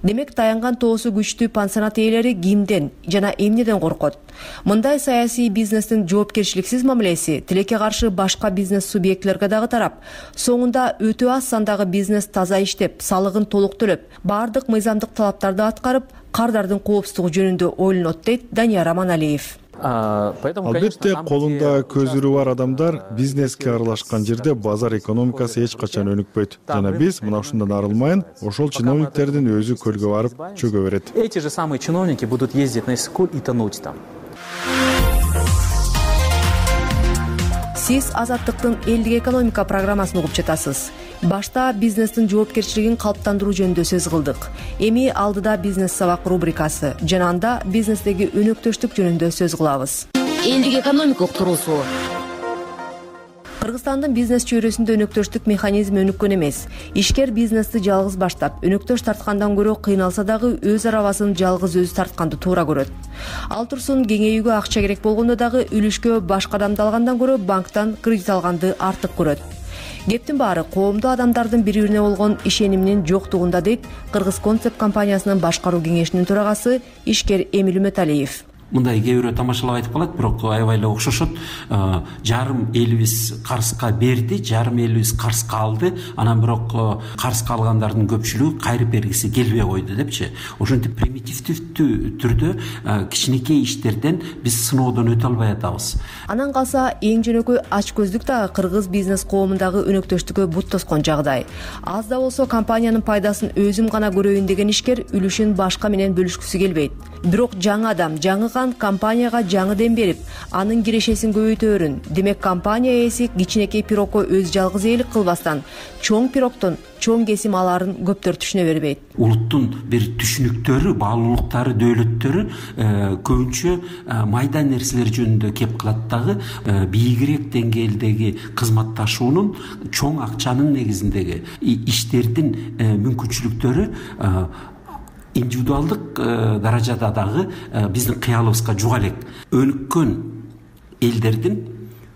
Демек, таянган тоосу күчтүү пансионат ээлери кимден жана эмнеден коркот? Мындай саясий бизнестин жоопкерчиликсиз мамилеси тилекке каршы башка бизнес субъектилерге дагы тарап, соңунда өтө аз сандагы бизнес таза иштеп, салыгын толук төлөп, баардык мыйзамдык талаптарды аткарып, кардардын коопсуздугу жөнүндө ойлонот дейт Данияр Аманалиев. Албетте, колунда көзүрү бар адамдар бизнеске аралашкан жерде базар экономикасы эч качан өнүкпөйт. Жана биз мына ушундан арылмайын, ошол чиновниктердин өзү көлгө барып чөгө берет. Эти же самые чиновники будут ездить на эскуль и тонуть там. Сиз Азаттыктын элдик экономика программасын угуп жатасыз. Башта бизнестин жоопкерчилигин калыптандыруу жөнүндө сөз кылдык. Эми алдыда бизнес сабак рубрикасы жана анда бизнестеги өнөктөштүк жөнүндө сөз кылабыз. Элдик экономика уктуруусу. Кыргызстандын бизнес чөйрөсүндө өнөктөштүк механизми өнүккөн эмес. Ишкер бизнести жалгыз баштап, өнөктөш тарткандан көрө кыйналса дагы өз арабасын жалгыз өзү тартканды туура көрөт. Ал турсун кеңейүүгө акча керек болгондо дагы үлүшкө башка адамды алгандан көрө банктан кредит алганды артык көрөт. Кептин баары коомдо адамдардын бири бирине болгон ишениминин жоктугунда, дейт Кыргыз концепт компаниясынын башкаруу кеңешинин төрагасы ишкер Эмил Үмөталиев. Мындай кээ бирөө тамашалап айтып калат, бирок аябай эле окшошот. Жарым элибиз карызга берди, жарым элибиз карызга алды, анан бирок карызга алгандардын көпчүлүгү кайрып бергиси келбей койду депчи. Ошентип примитивдүү түрдө кичинекей иштерден биз сыноодон өтө албай атабыз. Анан калса эң жөнөкөй ачкөздүк дагы кыргыз бизнес коомундагы өнөктөштүккө бут тоскон жагдай. Аз да болсо компаниянын пайдасын өзүм гана көрөйүн деген ишкер үлүшүн башка менен бөлүшкүсү келбейт. Бирок жаңы адам, жаңы кан компанияга жаңы дем берип, анын кирешесин көбөйтөөрүн. Демек компания ээси кичинекей пирогко өз жалгыз ээлик кылбастан, чоң пирогдон чоң кесим аларын көптөртүшүнө бербейт. Улуттун бир түшүнүктөрү, баалуулуктары, дөөлөттөрү көбүнчө майда нерселер жөнүндө кеп калат дагы, бийигирээк деңгээлдеги кызматташуунун, чоң акчанын негизиндеги иштердин мүмкүнчүлүктөрү индивидуалдык даражада дагы биздин кыялыбызга жуга элек. Өнүккөн элдердин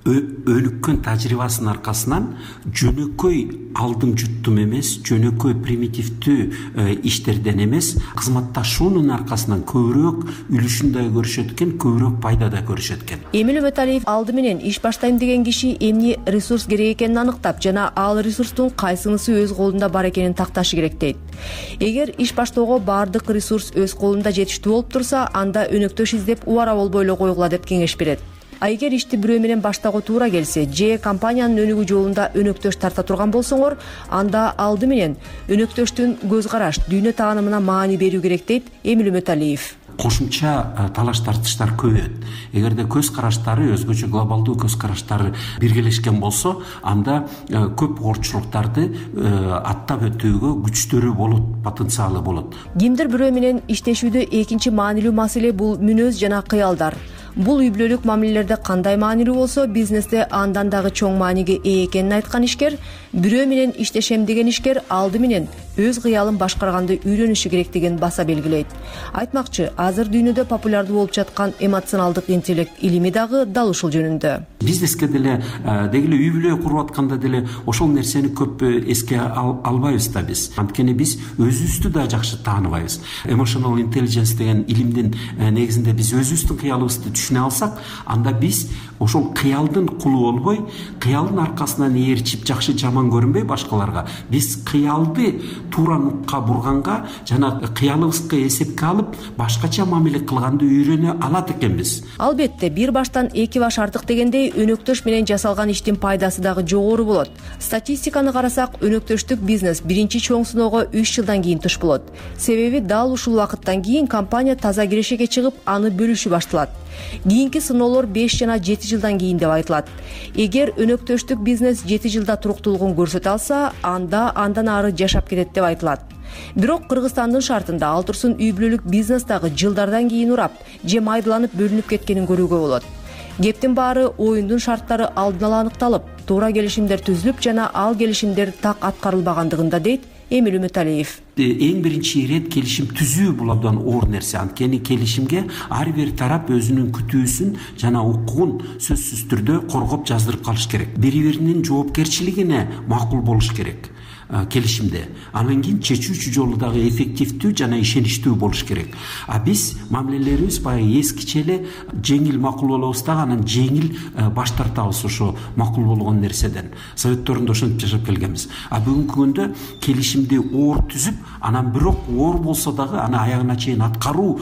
өнүккөн тажрыйбасынын аркасынан жөнөкөй алдым жуттум эмес, жөнөкөй примитивдүү иштерден эмес, кызматташуунун аркасынан көбүрөөк үлүшүн да көрүшөт экен, көбүрөөк пайда да көрүшөт экен. Эмил Үмөталиев алды менен иш баштайм деген киши эмне ресурс керек экенин аныктап, жана ал ресурстун кайсынысы өз колунда бар экенин такташы керек дейт. Эгер иш баштоого баардык ресурс өз колунда жетиштүү болуп турса, анда өнөктөш издеп убара болбой эле койгула деп кеңеш берет. А эгер ишти бирөө менен баштоого туура келсе, же компаниянын өнүгүү жолунда өнөктөш тарта турган болсоңор, анда алды менен өнөктөштүн көз караш, дүйнө таанымына маани берүү керек, дейт Эмил Үмөталиев. Кошумча талаш тартыштар көбөйөт. Эгерде көз караштары, өзгөчө глобалдуу көз караштары биргелешкен болсо, анда көп оорчулуктарды аттап өтүүгө күчтөрү болот, потенциалы болот. Кимдир бирөө менен иштешүүдө экинчи маанилүү маселе бул мүнөз жана кыялдар. Бул үй бүлөлүк мамилелерде кандай маанилүү болсо, бизнесте андан дагы чоң мааниге ээ экенин айткан ишкер, бирөө менен иштешем деген ишкер алды менен өз кыялын башкарганды үйрөнүшү керектигин баса белгилейт. Айтмакчы, азыр дүйнөдө популярдуу болуп жаткан эмоционалдык интеллект илими дагы дал ушул жөнүндө. Бизнеске деле, деги эле үй бүлө куруп атканда деле ошол нерсени көп эске албайбыз да биз. Анткени биз өзүбүздү да жакшы тааныбайбыз. Emotional intelligence деген илимдин негизинде биз өзүбүздүн кыялыбызды түшүнө алсак, анда биз ошол кыялдын кулу болбой, кыялдын аркасынан ээрчип жакшы жаман көрүнбөй башкаларга, биз кыялды туура нукка бурганга жана кыялыбызга эсепке алып, башкача мамиле кылганды үйрөнө алат экенбиз. Албетте, бир баштан эки баш артык дегендей, өнөктөш менен жасалган иштин пайдасы дагы жогору болот. Статистиканы карасак, өнөктөштүк бизнес биринчи чоң сыноого үч жылдан кийин туш болот. Себеби дал ушул убакыттан кийин компания таза кирешеге чыгып, аны бөлүшү башталат. Кийинки сыноолор беш жана жети жылдан кийин деп айтылат. Эгер өнөктөштүк бизнес жети жылда туруктуулугун көрсөтө алса, анда андан ары жашап кетет деп айтылат. Бирок Кыргызстандын шартында ал турсун үй бүлөлүк бизнес дагы жылдардан кийин урап, же майдаланып бөлүнүп кеткенин көрүүгө болот. Кептин баары оюндун шарттары алдын ала аныкталып, туура келишимдер түзүлүп жана ал келишимдер так аткарылбагандыгында, дейт Эмил Үмөталиев. Эң биринчи ирет келишим түзүү бул абдан оор нерсе. Анткени келишимге ар бир тарап өзүнүн күтүүсүн жана укугун сөзсүз түрдө коргоп жаздырып калыш керек. Бири биринин жоопкерчилигине макул болуш керек келишимде. Анан кийин чечүүчү жолу дагы эффективдүү жана ишеничтүү болуш керек. А биз мамилелерибиз баягы эскиче эле жеңил макул болобуз дагы, анан жеңил баш тартабыз ошо макул болгон нерседен. Советторунда ошентип жашап келгенбиз. А бүгүнкү күндө келишимди оор түзүп, анан бирок оор болсо дагы аны аягына чейин аткаруу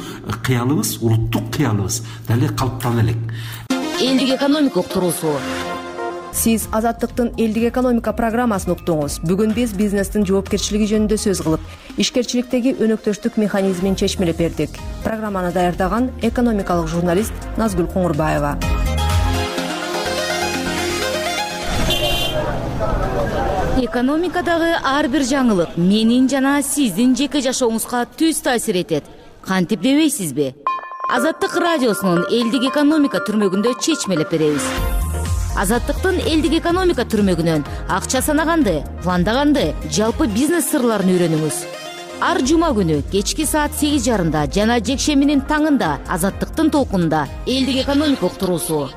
кыялыбыз, улуттук кыялыбыз дале калыптана элек. Элдик экономика уктуруусу. Сиз Азаттыктын элдик экономика программасын уктуңуз. Бүгүн биз бизнестин жоопкерчилиги жөнүндө сөз кылып, ишкерчиликтеги өнөктөштүк механизмин чечмелеп бердик. Программаны даярдаган экономикалык журналист Назгүл Коңурбаева. Экономикадагы ар бир жаңылык менин жана сиздин жеке жашооңузга түз таасир этет. Кантип дебейсизби? Азаттык радиосунун элдик экономика түрмөгүндө чечмелеп беребиз. Азаттыктын элдик экономика түрмөгүнөн акча санаганды, пландаганды, жалпы бизнес сырларын үйрөнүңүз. Ар жума күнү кечки саат сегиз жарымда жана жекшембинин таңында Азаттыктын толкунунда элдик экономика уктуруусу.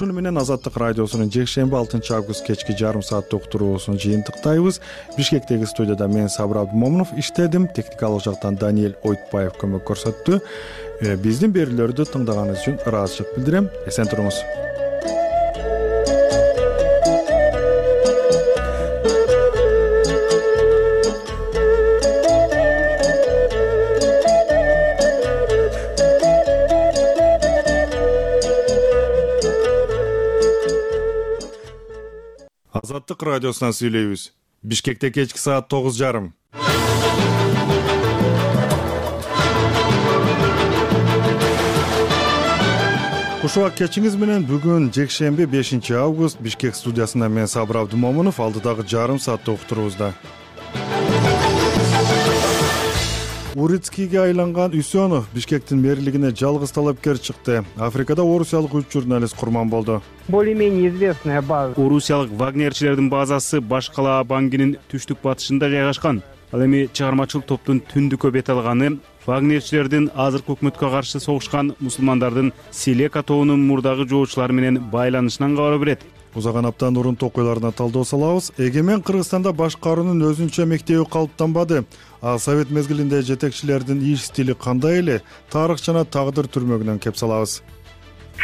ушуну менен Азаттык радиосунун жекшемби алтынчы август кечки жарым сааттык уктуруусун жыйынтыктайбыз. Бишкектеги студияда мен Сабыр Абдымомунов иштедим, техникалык жактан Даниэль Ойтбаев көмөк көрсөттү. Биздин берүүлөрдү тыңдаганыңыз үчүн ыраазычылык билдирем. Эсен туруңуз. Азаттык радиосунан сүйлөйбүз. Бишкекте кечки саат тогуз жарым. Кушубак кечиңиз менен бүгүн жекшемби бешинчи август Бишкек студиясында мен Сабыр Абдымомунов алдыдагы жарым сааттык уктуруубузда. Урицкийге айланган Үсөнов Бишкектин мэрлигине жалгыз талапкер чыкты. Африкада орусиялык үч журналист курман болду. Более-менее известная база. Орусиялык вагнерчилердин базасы баш кала Бангинин түштүк батышында жайгашкан. Ал эми чыгармачыл топтун түндүккө бет алганы вагнерчилердин азыркы өкмөткө каршы согушкан мусулмандардын Селека тобунун мурдагы жоочулары менен байланышынан кабар берет. Узаган аптанын урунтук окуяларына талдоо салабыз. Эгемен Кыргызстанда башкаруунун өзүнчө мектеби калыптанбады. А совет мезгилинде жетекчилердин иш стили кандай эле? Тарых жана тагдыр түрмөгүнөн кеп салабыз.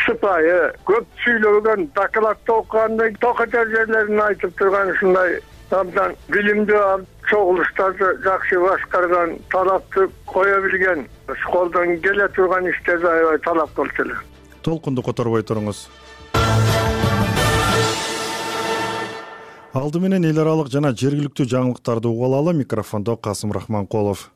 Сыпайы, көп сүйлөгөн, докладты окугандай, токочо жерлерин айтып турган ушундай абдан билимдүү, чогулуштарды жакшы башкарган, талапты кое билген, колдон келе турган иштерди аябай талап кылчу эле. Толкунду которбой туруңуз. Алды менен эл аралык жана жергиликтүү жаңылыктарды угуп алалы. Микрофондо Касым Рахманкулов.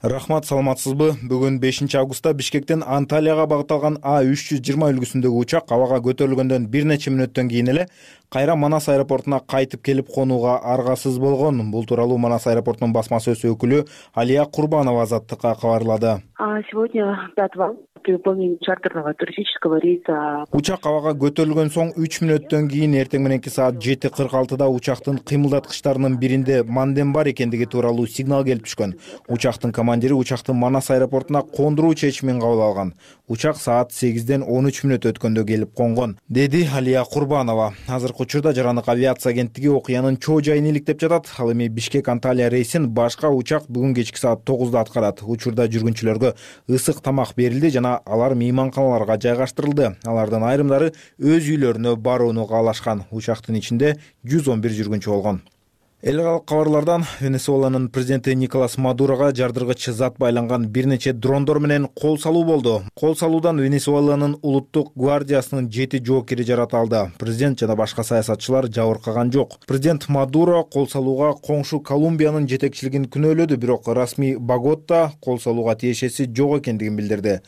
Рахмат, саламатсызбы? Бүгүн бешинчи августта Бишкектен Анталияга багытталган А үч жүз жыйырма үлгүсүндөгү учак абага көтөрүлгөндөн бир нече мүнөттөн кийин эле кайра Манас аэропортуна кайтып келип конууга аргасыз болгон. Бул тууралуу Манас аэропортунун басма сөз өкүлү Алия Курбанова Азаттыкка кабарлады. Сегодня пятого при выполнении чартерного туристического рейса. Учак абага көтөрүлгөн соң үч мүнөттөн кийин эртең мененки саат жети кырк алтыда учактын кыймылдаткычтарынын биринде манден бар экендиги тууралуу сигнал келип түшкөн. Учактын командири учакты Манас аэропортуна кондуруу чечимин кабыл алган. Учак саат сегизден он үч мүнөт өткөндө келип конгон, деди Алия Курбанова. Азыркы учурда Жарандык авиация агенттиги окуянын чоо жайын иликтеп жатат. Ал эми Бишкек Анталия рейсин башка учак бүгүн кечки саат тогузда аткарат. Учурда жүргүнчүлөргө ысык тамак берилди жана алар мейманканаларга жайгаштырылды. Алардын айрымдары өз үйлөрүнө барууну каалашкан. Учактын ичинде жүз он бир жүргүнчү болгон. Эл аралык кабарлардан Венесуэланын президенти Николас Мадурога жардыргыч зат байланган бир нече дрондор менен кол салуу болду. Кол салуудан Венесуэланын улуттук гвардиясынын жети жоокери жаратылды. Президент жана башка саясатчылар жабыркаган жок. Президент Мадуро кол салууга коңшу Колумбиянын жетекчилигин күнөөлөдү, бирок расмий Богота кол салууга тиешеси жок экендигин билдирди.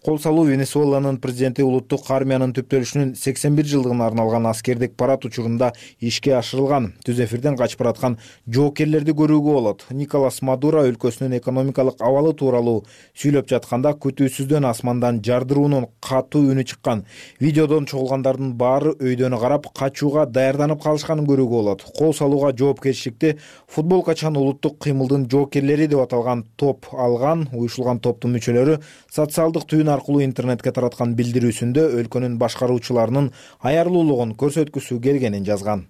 Кол салуу Венесуэланын президенти улуттук армиянын түптөлүшүнүн сексен бир жылдыгына арналган аскердик парад учурунда ишке ашырылган. Түз эфирден качып бараткан жоокерлерди көрүүгө болот. Николас Мадуро өлкөсүнүн экономикалык абалы тууралуу сүйлөп жатканда күтүүсүздөн асмандан жардыруунун катуу үнү чыккан. Видеодон чогулгандардын баары өйдөн карап качууга даярданып калышканын көрүүгө болот. Кол салууга жоопкерчиликти футболкачан улуттук кыймылдын жоокерлери деп аталган топ алган. Уюшулган топтун мүчөлөрү социалдык түйүн аркылуу интернетке тараткан билдирүүсүндө өлкөнүн башкаруучуларынын аярлуулугун көрсөткүсү келгенин жазган.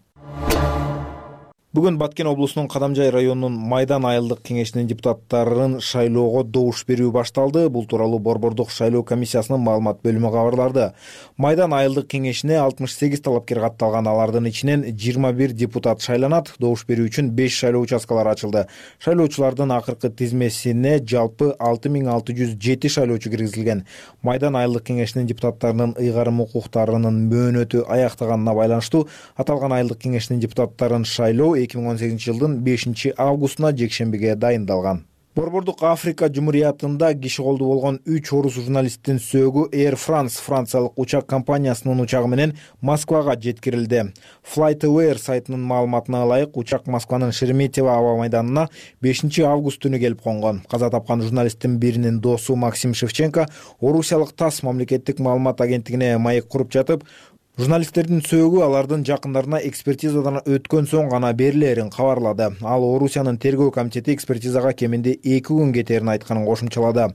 Бүгүн Баткен облусунун Кадамжай районунун Майдан айылдык кеңешинин депутаттарын шайлоого добуш берүү башталды. Бул тууралуу Борбордук шайлоо комиссиясынын маалымат бөлүмү кабарлады. Майдан айылдык кеңешине алтымыш сегиз талапкер катталган, алардын ичинен жыйырма бир депутат шайланат. Добуш берүү үчүн беш шайлоо участкалары ачылды. Шайлоочулардын акыркы тизмесине жалпы алты миң алты жүз жети шайлоочу киргизилген. Майдан айылдык кеңешинин депутаттарынын ыйгарым укуктарынын мөөнөтү аяктаганына байланыштуу аталган айылдык кеңешинин депутаттарын шайлоо эки миң он сегизинчи жылдын бешинчи августуна жекшембиге дайындалган. Борбордук Африка Жумуриятында киши колду болгон үч орус журналисттин сөөгү Air France франциялык учак компаниясынын учагы менен Москвага жеткирилди. FlightAware сайтынын маалыматына ылайык, учак Москванын Шереметьево аба майданына бешинчи август түнү келип конгон. Каза тапкан журналисттин биринин досу Максим Шевченко орусиялык ТАСС мамлекеттик маалымат агенттигине маек куруп жатып, Журналисттердин сөөгү алардын жакындарына экспертизадан өткөн соң гана берилерин кабарлады. Ал Орусиянын тергөө комитети экспертизага кеминде эки күн кетерин айтканын кошумчалады.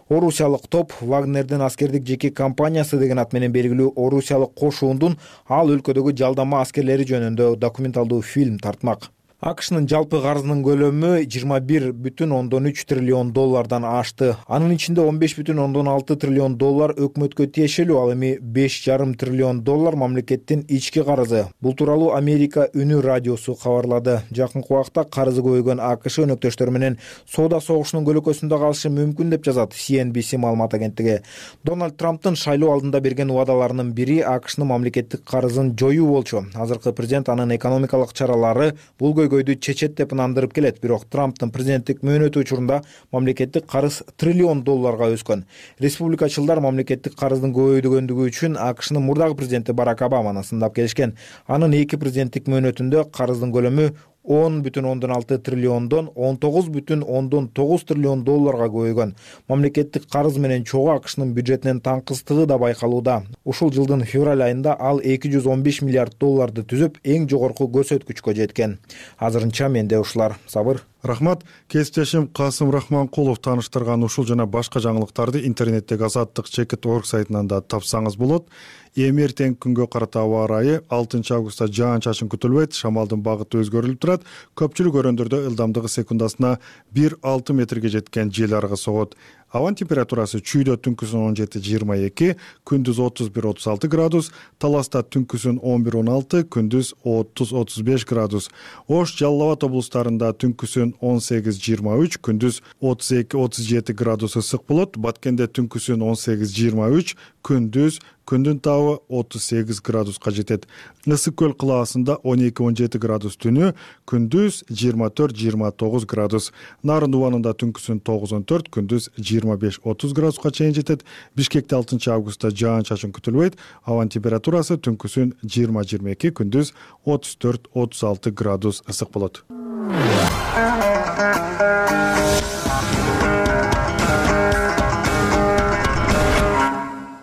Орусиялык топ Вагнердин аскердик жеке компаниясы деген ат менен белгилүү орусиялык кошуундун ал өлкөдөгү жалдама аскерлери жөнүндө документалдуу фильм тартмак. АКШнын жалпы карызынын көлөмү жыйырма бир бүтүн ондон үч триллион доллардан ашты. Анын ичинде он беш бүтүн ондон алты триллион доллар өкмөткө тиешелүү, ал эми беш жарым триллион доллар мамлекеттин ички карызы. Бул тууралуу Америка үнү радиосу кабарлады. Жакынкы убакта карызы көбөйгөн АКШ өнөктөштөрү менен соода согушунун көлөкөсүндө калышы мүмкүн деп жазат си эн би си маалымат агенттиги. Дональд Трамптын шайлоо алдында берген убадаларынын бири АКШнын мамлекеттик карызын жоюу болчу. Азыркы президент анын экономикалык чаралары бул көйгөйдү чечет деп ынандырып келет. Бирок Трамптын президенттик мөөнөтү учурунда мамлекеттик карыз триллион долларга өскөн. Республикачылдар мамлекеттик карыздын көбөйгөндүгү үчүн АКШнын мурдагы президенти Барак Обаманы сындап келишкен. Анын эки президенттик мөөнөтүндө карыздын көлөмү он бүтүн ондон алты триллиондон он тогуз бүтүн ондон тогуз триллион долларга көбөйгөн. Мамлекеттик карыз менен чогуу АКШнын бюджетинен таңкыстыгы да байкалууда. Ушул жылдын февраль айында ал эки жүз он беш миллиард долларды түзүп, эң жогорку көрсөткүчкө жеткен. Азырынча менде ушулар. Сабыр. Рахмат. Кесиптешим Касым Рахманкулов тааныштырган ушул жана башка жаңылыктарды интернеттеги азаттык чекит орг сайтынан да тапсаңыз болот. Эми эртеңки күнгө карата аба ырайы алтынчы августта жаан-чачын күтүлбөйт, шамалдын багыты өзгөрүлүп турат. Көпчүлүк өрөөндөрдө ылдамдыгы секундасына бир алты метрге жеткен жел аргы согот. Абанын температурасы чүйдө түнкүсүн он жети жыйырма эки, күндүз отуз бир отуз алты градус, Таласта түнкүсүн он бир он алты, күндүз отуз отуз беш градус. Ош, Жалал Абад облустарында түнкүсүн он сегиз жыйырма үч, күндүз отуз эки отуз жети градус ысык болот. Баткенде түнкүсүн он сегиз жыйырма үч, күндүз күндүн табы отуз сегиз градуска жетет. Ысык көл кылаасында он эки он жети градус түнү, күндүз жыйырма төрт жыйырма тогуз градус. Нарын Убанында түнкүсүн тогуз он төрт, күндүз жыйырма беш отуз градуска чейин жетет. Бишкекте алтынчы августта жаан-чачын күтүлбөйт. Абанын температурасы түнкүсүн жыйырма жыйырма эки, күндүз отуз төрт отуз алты градус ысык болот.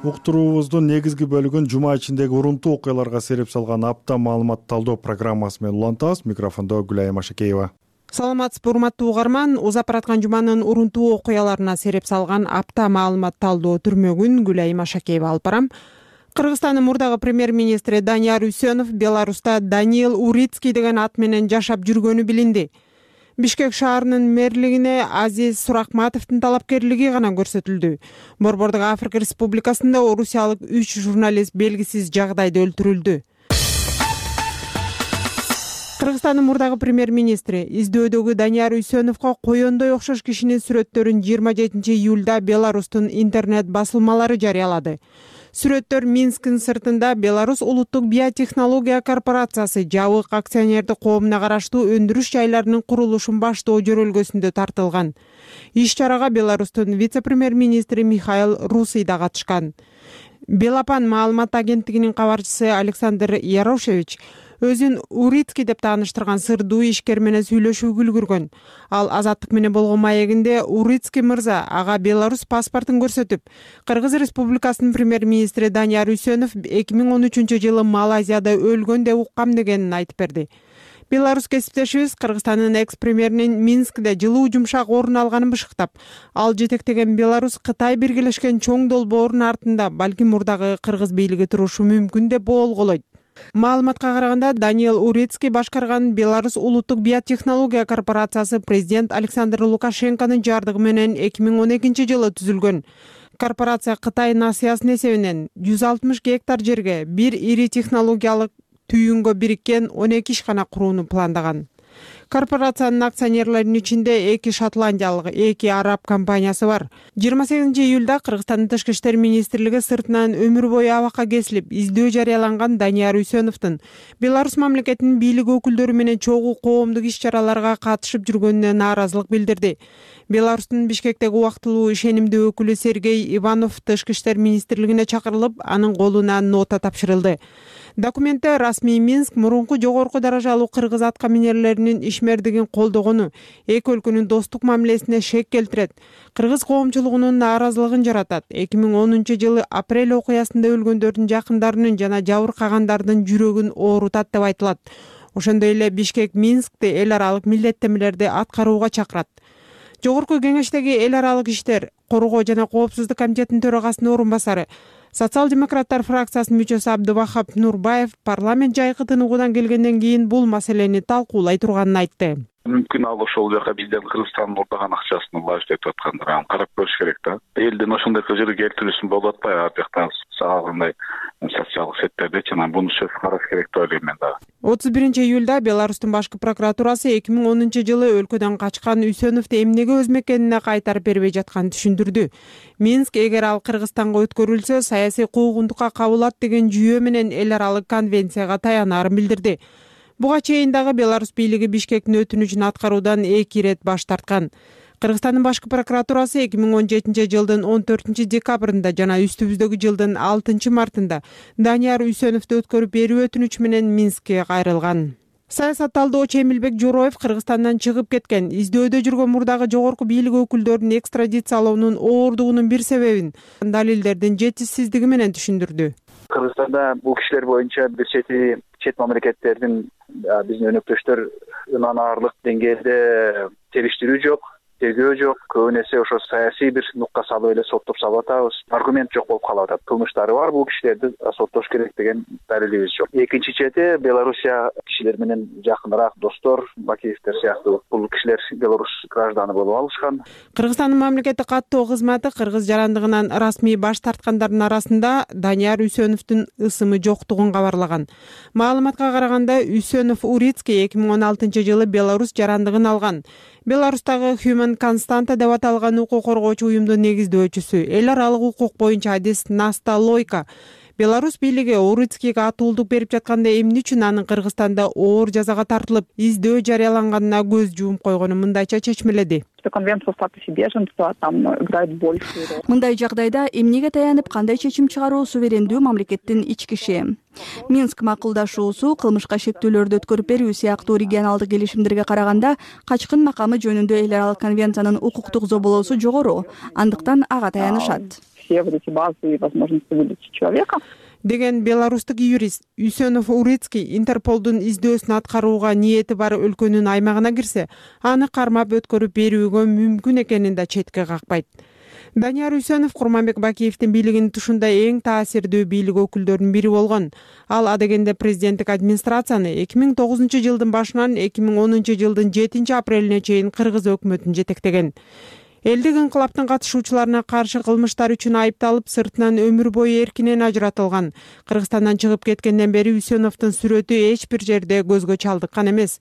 Уктуруубуздун негизги бөлүгүн жума ичиндеги урунтуу окуяларга сереп салган апта маалымат талдоо программасы менен улантабыз. Микрофондо Гүлайым Машакеева. Саламатсызбы, урматтуу угарман. Узап бараткан жуманын урунтуу окуяларына сереп салган апта маалымат талдоо түрмөгүн Гүлайым Машакеева алып барам. Кыргызстандын мурдагы премьер-министри Данияр Үсөнов Беларуста Даниил Урицкий деген ат менен жашап жүргөнү билинди. Бишкек шаарынын мэрлигине Азиз Суракматовдун талапкерлиги гана көрсөтүлдү. Борбордук Африка Республикасында орусиялык үч журналист белгисиз жагдайда өлтүрүлдү. Кыргызстандын мурдагы премьер-министри издөөдөгү Данияр Үсөновго коёндой окшош кишинин сүрөттөрүн жыйырма жетинчи июлда Беларустун интернет басылмалары жарыялады. Сүрөттөр Минскдин сыртында Беларусь улуттук биотехнология корпорациясы жабык акционердик коомуна караштуу өндүрүш жайларынын курулушун баштоо жөрөлгөсүндө тартылган. Иш чарага Беларустун вице-премьер-министри Михаил Русый да катышкан. Белапан маалымат агенттигинин кабарчысы Александр Ярошевич өзүн Урицкий деп тааныштырган сырдуу ишкер менен сүйлөшүүгө үлгүргөн. Ал Азаттык менен болгон маегинде Урицкий мырза ага Беларусь паспортун көрсөтүп, Кыргыз Республикасынын премьер-министри Данияр Үсөнов эки миң он үчүнчү жылы Малайзияда өлгөн деп уккам дегенин айтып берди. Беларусь кесиптешибиз Кыргызстандын экс-премьеринин Минскде жылуу жумшак орун алганын бышыктап, ал жетектеген Беларусь Кытай биргелешкен чоң долбоорунун артында балким мурдагы кыргыз бийлиги турушу мүмкүн деп боолголойт. Маалыматка караганда Даниил Урицкий башкарган Беларусь улуттук биотехнология корпорациясы президент Александр Лукашенконун жардыгы менен эки миң он экинчи жылы түзүлгөн. Корпорация Кытай насыясынын эсебинен жүз алтымыш гектар жерге бир ири технологиялык түйүнгө бириккен он эки ишкана курууну пландаган. Корпорациянын акционерлеринин ичинде эки шотландиялык, эки араб компаниясы бар. жыйырма сегизинчи июлда Кыргызстандын Тышкы иштер министрлиги сыртынан өмүр бою абакка кесилип, издөө жарыяланган Данияр Үсөновдун Беларусь мамлекетинин бийлик өкүлдөрү менен чогуу коомдук иш-чараларга катышып жүргөнүнө нааразылык билдирди. Беларустун Бишкектеги убактылуу ишенимдүү өкүлү Сергей Иванов Тышкы иштер министрлигине чакырылып, анын колуна нота тапшырылды. Документте расмий Минск мурунку жогорку даражалуу кыргыз аткаминерлеринин ишмердигин колдогону эки өлкөнүн достук мамилесине шек келтирет, кыргыз коомчулугунун нааразылыгын жаратат. эки миң онунчу жылы апрель окуясында өлгөндөрдүн жакындарынын жана жабыркагандардын жүрөгүн оорутат деп айтылат. Ошондой эле Бишкек Минскти эл аралык милдеттемелерди аткарууга чакырат. Жогорку кеңештеги эл аралык иштер, коргоо жана коопсуздук комитетинин төрагасынын орун басары, социал-демократтар фракциясынын мүчөсү Абдывахап Нурбаев парламент жайкы тыныгуудан келгенден кийин бул маселени талкуулай турганын айтты. Мүмкүн ал ошол жака бизден Кыргызстандын ордогон акчасын лажы деп аткандар, аны карап көрүш керек да. Элдин ошондой кыжыры келтирүүсүн болуп атпайбы, ар жактан сагагандай социалдык сеттерде жана буну сөз караш керек деп ойлойм мен дагы. отуз биринчи июлда Беларустун башкы прокуратурасы эки миң онунчу жылы өлкөдөн качкан Үсөновду эмнеге өз мекенине кайтарып бербей жатканын түшүндүрдү. Минск эгер ал Кыргызстанга өткөрүлсө, саясий куугунтукка кабылат деген жүйө менен эл аралык конвенцияга таянарын билдирди. Буга чейин дагы Беларусь бийлиги Бишкектин өтүнүчүн аткаруудан эки ирет баш тарткан. Кыргызстандын башкы прокуратурасы эки миң он жетинчи жылдын он төртүнчү декабрында жана үстүбүздөгү жылдын алтынчы мартында Данияр Үсөновду өткөрүп берүү өтүнүчү менен Минскке кайрылган. Саясатталдоочу Эмилбек Жороев Кыргызстандан чыгып кеткен, издөөдө жүргөн мурдагы жогорку бийлик өкүлдөрүн экстрадициялоонун оордугунун бир себебин далилдердин жетишсиздиги менен түшүндүрдү. Кыргызстанда бул кишилер боюнча бир чети чет мамлекеттердин биздин өнөктөштөр ынанарлык деңгээлде териштирүү жок, тергөө жок, көбүн эсе ошо саясий бир нукка салып эле соттоп салып атабыз. Аргумент жок болуп калып атат. Кылмыштары бар, бул кишилерди соттош керек деген далилибиз жок. Экинчи чети Белоруссия кишилер менен жакыныраак достор, Бакиевтер сыяктуу бул кишилер Беларусь гражданы болуп алышкан. Кыргызстандын мамлекеттик каттоо кызматы кыргыз жарандыгынан расмий баш тарткандардын арасында Данияр Үсөновдун ысымы жоктугун кабарлаган. Маалыматка караганда Үсөнов Урицкий эки миң он алтынчы жылы Беларусь жарандыгын алган. Беларустагы Human Constanta деп аталган укук коргоочу уюмдун негиздөөчүсү, эл аралык укук боюнча адис Наста Лойка Беларусь бийлиги Урицкийге атуулдук берип жатканда эмне үчүн анын Кыргызстанда оор жазага тартылып, издөө жарыяланганына көз жумуп койгону мындайча чечмеледи. Мындай жагдайда эмнеге таянып кандай чечим чыгаруу суверендүү мамлекеттин ички иши. Минск макулдашуусу кылмышка шектүүлөрдү өткөрүп берүү сыяктуу регионалдык келишимдерге караганда качкын макамы жөнүндө эл аралык конвенциянын укуктук зоболоосу жогору, андыктан ага таянышат. Все вот эти базовые возможности выдачи человека. Деген беларустук юрист Үсөнов Урицкий Интерполдун издөөсүн аткарууга ниети бар өлкөнүн аймагына кирсе, аны кармап өткөрүп берүүгө мүмкүн экенин да четке какпайт. Данияр Үсөнов Курманбек Бакиевдин бийлигинин тушунда эң таасирдүү бийлик өкүлдөрүнүн бири болгон. Ал адегенде президенттик администрацияны эки миң тогузунчу жылдын башынан эки миң онунчу жылдын жетинчи апрелине чейин кыргыз өкмөтүн жетектеген. Элдик инкылаптын катышуучуларына каршы кылмыштар үчүн айыпталып, сыртынан өмүр бою эркинен ажыратылган. Кыргызстандан чыгып кеткенден бери Үсөновдун сүрөтү эч бир жерде көзгө чалдыккан эмес.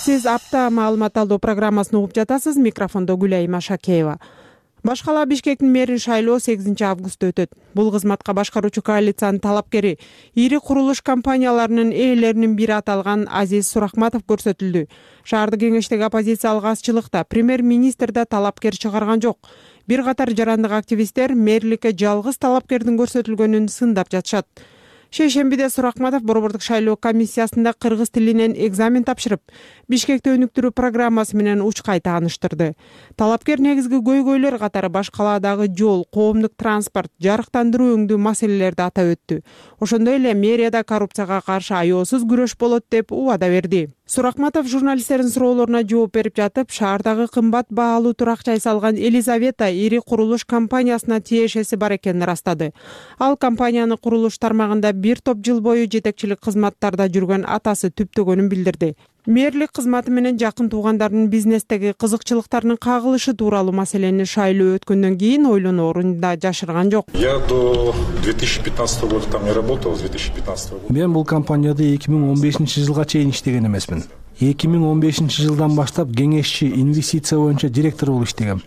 Сиз апта маалымат алуу программасын угуп жатасыз. Микрофондо Гүлай Машакеева. Башкала Бишкектин мэрин шайлоо сегизинчи августта өтөт. Бул кызматка башкаруучу коалициянын талапкери ири курулуш компанияларынын ээлеринин бири аталган Азиз Сурахматов көрсөтүлдү. Шаардык кеңештеги оппозициялык азчылыкта премьер-министр да талапкер чыгарган жок. Бир катар жарандык активисттер мэрликке жалгыз талапкердин көрсөтүлгөнүн сындап жатышат. Шейшембиде Сурахматов борбордук шайлоо комиссиясында кыргыз тилинен экзамен тапшырып, Бишкекти өнүктүрүү программасы менен учкай тааныштырды. Талапкер негизги көйгөйлөр катары баш калаадагы жол, коомдук транспорт, жарыктандыруу өңдүү маселелерди атап өттү. Ошондой эле мэрияда коррупцияга каршы аеосуз күрөш болот деп убада берди. Сурахматов журналисттердин суроолоруна жооп берип жатып, шаардагы кымбат баалуу турак жай салган Елизавета ири курулуш компаниясына тиешеси бар экенин ырастады. Ал компаниянын курулуш тармагында бир топ жыл бою жетекчилик кызматтарда жүргөн атасы түптөгөнүн билдирди. Мэрлик кызматы менен жакын туугандарынын бизнестеги кызыкчылыктарынын кагылышы тууралуу маселени шайлоо өткөндөн кийин ойлоноорун да жашырган жок. Я до две тысячи пятнадцатого года там не работал, с две тысячи пятнадцатого года. Мен бул компанияда эки миң он бешинчи жылга чейин иштеген эмесмин. эки миң он бешинчи жылдан баштап кеңешчи инвестиция боюнча директор болуп иштегем.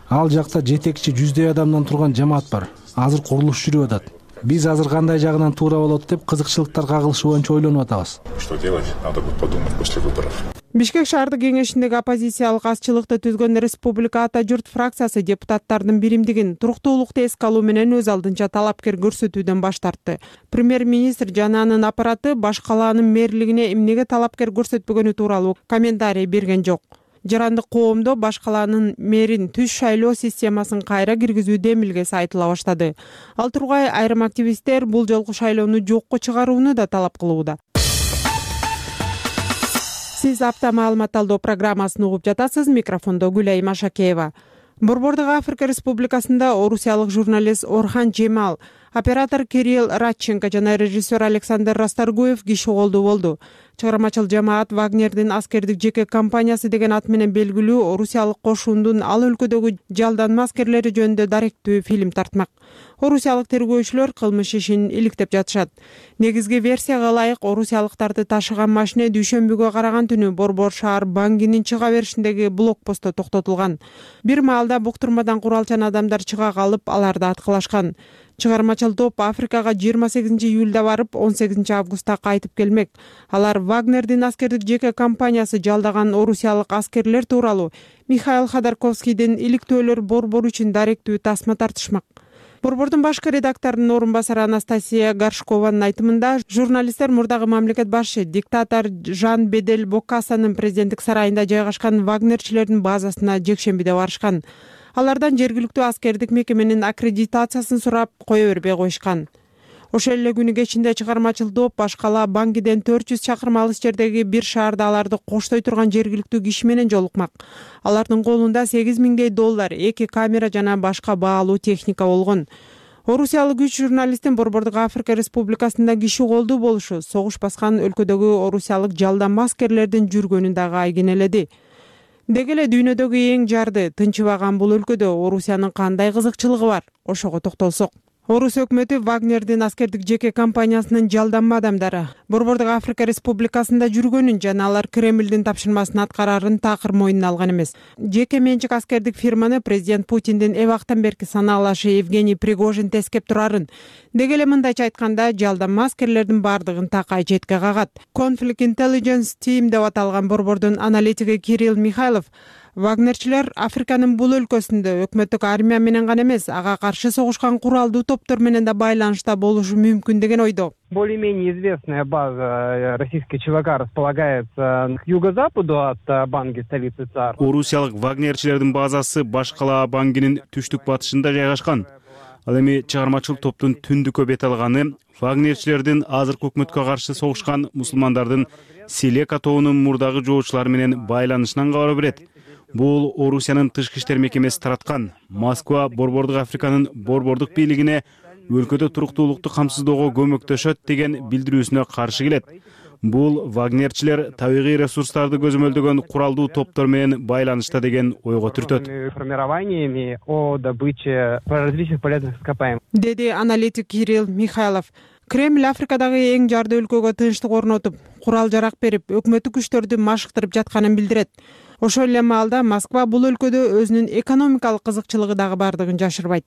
Ал жакта жетекчи жүздөй адамдан турган жамаат бар. Азыр курулуш жүрүп атат. Биз азыр кандай жагынан туура болот деп кызыкчылыктар кагылышы боюнча ойлонуп атабыз. Что делать? Надо будет подумать после выборов. Бишкек шаардык кеңешиндеги оппозициялык азчылыкты түзгөн Республика Ата журт фракциясы депутаттардын биримдигин туруктуулукту эске алуу менен өз алдынча талапкер көрсөтүүдөн баш тартты. Премьер-министр жана анын аппараты баш калаанын мэрлигине эмнеге талапкер көрсөтпөгөнү тууралуу комментарий берген жок. Жарандык коомдо баш калаанын мэрин түз шайлоо системасын кайра киргизүү демилгеси айтыла баштады. Ал тургай айрым активисттер бул жолку шайлоону жокко чыгарууну да талап кылууда. Сиз апта маалымат талдоо программасын угуп жатасыз. Микрофондо Гүлай Машакеева. Борбордук Африка Республикасында орусиялык журналист Орхан Жемал, оператор Кирилл Радченко жана режиссер Александр Расторгуев киши колдуу болду. Чыгармачыл жамаат Вагнердин аскердик жеке компаниясы деген ат менен белгилүү орусиялык кошуундун ал өлкөдөгү жалданма аскерлери жөнүндө даректүү фильм тартмак. Орусиялык тергөөчүлөр кылмыш ишин иликтеп жатышат. Негизги версияга ылайык орусиялыктарды ташыган машина дүйшөмбүгө караган түнү Борбор шаар Бангинин чыга беришиндеги блокпостто токтотулган. Бир маалда буктурмадан куралчан адамдар чыга калып, аларды аткылашкан. Чыгармачыл топ Африкага жыйырма сегизинчи июлда барып, он сегизинчи августта кайтып келмек. Алар Вагнердин аскердик жеке компаниясы жалдаган орусиялык аскерлер тууралуу Михаил Ходорковскийдин иликтөөлөр борбору үчүн даректүү тасма тартышмак. Борбордун башкы редакторунун орун басары Анастасия Горшкованын айтымында, журналисттер мурдагы мамлекет башы диктатор Жан Бедель Бокассанын президенттик сарайында жайгашкан вагнерчилердин базасына жекшембиде барышкан. Алардан жергиликтүү аскердик мекеменин аккредитациясын сурап, кое бербей коюшкан. Ошол эле күнү кечинде чыгармачыл топ баш кала Бангиден төрт жүз чакырым алыс жердеги бир шаарда аларды коштой турган жергиликтүү киши менен жолукмак. Алардын колунда сегиз миңдей доллар, эки камера жана башка баалуу техника болгон. Орусиялык үч журналисттин Борбордук Африка Республикасында киши колдуу болушу согуш баскан өлкөдөгү орусиялык жалданма аскерлердин жүргөнүн дагы айгинеледи. Деги эле дүйнөдөгү эң жарды, тынчыбаган бул өлкөдө Орусиянын кандай кызыкчылыгы бар? Ошого токтолсок. Орус өкмөтү Вагнердин аскердик жеке компаниясынын жалданма адамдары Борбордук Африка Республикасында жүргөнүн жана алар Кремлдин тапшырмасын аткарарын такыр мойнуна алган эмес. Жеке менчик аскердик фирманы президент Путиндин эбактан берки санаалашы Евгений Пригожин тескеп турарын. Деги эле мындайча айтканда, жалданма аскерлердин бардыгын такай четке кагат. Conflict Intelligence Team деп аталган борбордун аналитиги Кирилл Михайлов Вагнерчилер Африканын бул өлкөсүндө өкмөттүк армия менен гана эмес, ага каршы согушкан куралдуу топтор менен да байланышта болушу мүмкүн деген ойдо. Более-менее известная база российской ЧВК располагается к юго-западу от Банги, столицы ЦАР. Орусиялык вагнерчилердин базасы баш кала Бангинин түштүк батышында жайгашкан. Ал эми чыгармачыл топтун түндүккө бет алганы вагнерчилердин азыркы өкмөткө каршы согушкан мусулмандардын Селека тобунун мурдагы жоочулары менен байланышынан кабар берет. Бул Орусиянын тышкы иштер мекемеси тараткан. Москва Борбордук Африканын борбордук бийлигине өлкөдө туруктуулукту камсыздоого көмөктөшөт деген билдирүүсүнө каршы келет. Бул вагнерчилер табигый ресурстарды көзөмөлдөгөн куралдуу топтор менен байланышта деген ойго түртөт. Формированиями о добыче различных полезных ископаемых. Деди аналитик Кирилл Михайлов. Кремль Африкадагы эң жарды өлкөгө тынчтык орнотуп, курал жарак берип, өкмөттүк күчтөрдү машыктырып жатканын билдирет. Ошол эле маалда Москва бул өлкөдө өзүнүн экономикалык кызыкчылыгы дагы бардыгын жашырбайт.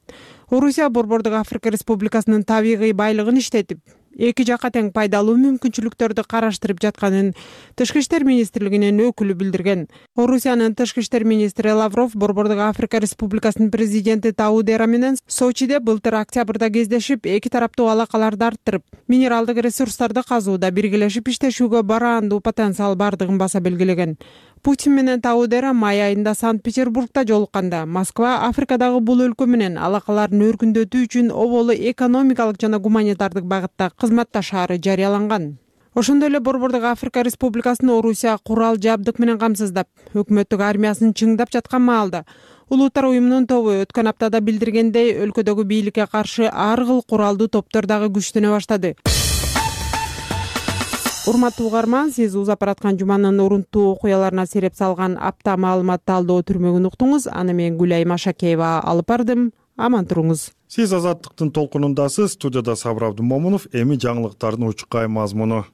Орусия Борбордук Африка Республикасынын табигый байлыгын иштетип, эки жакка тең пайдалуу мүмкүнчүлүктөрдү караштырып жатканын Тышкы иштер министрлигинин өкүлү билдирген. Орусиянын Тышкы иштер министри Лавров Борбордук Африка Республикасынын президенти Таудера менен Сочиде былтыр октябрда кездешип, эки тараптуу алакаларды арттырып, минералдык ресурстарды казууда биргелешип иштешүүгө бараандуу потенциал бардыгын баса белгилеген. Путин менен Таудера май айында Санкт-Петербургда жолукканда Москва Африкадагы бул өлкө менен алакаларын өркүндөтүү үчүн оболу экономикалык жана гуманитардык багытта кызматташаары жарыяланган. Ошондой эле Борбордук Африка Республикасын Орусия курал жабдык менен камсыздап, өкмөттүк армиясын чыңдап жаткан маалда Улуттар уюмунун тобу өткөн аптада билдиргендей, өлкөдөгү бийликке каршы ар кыл куралдуу топтор дагы күчтөнө баштады. Урматтуу угарман, сиз узап бараткан жуманын урунттуу окуяларына сереп салган апта маалымат талдоо түрмөгүн уктуңуз. Аны мен Гүлай Машакеева алып бардым. Аман туруңуз. Сиз Азаттыктын толкунундасыз. Студияда Сабыр Абдымомунов. Эми жаңылыктардын учукай мазмуну.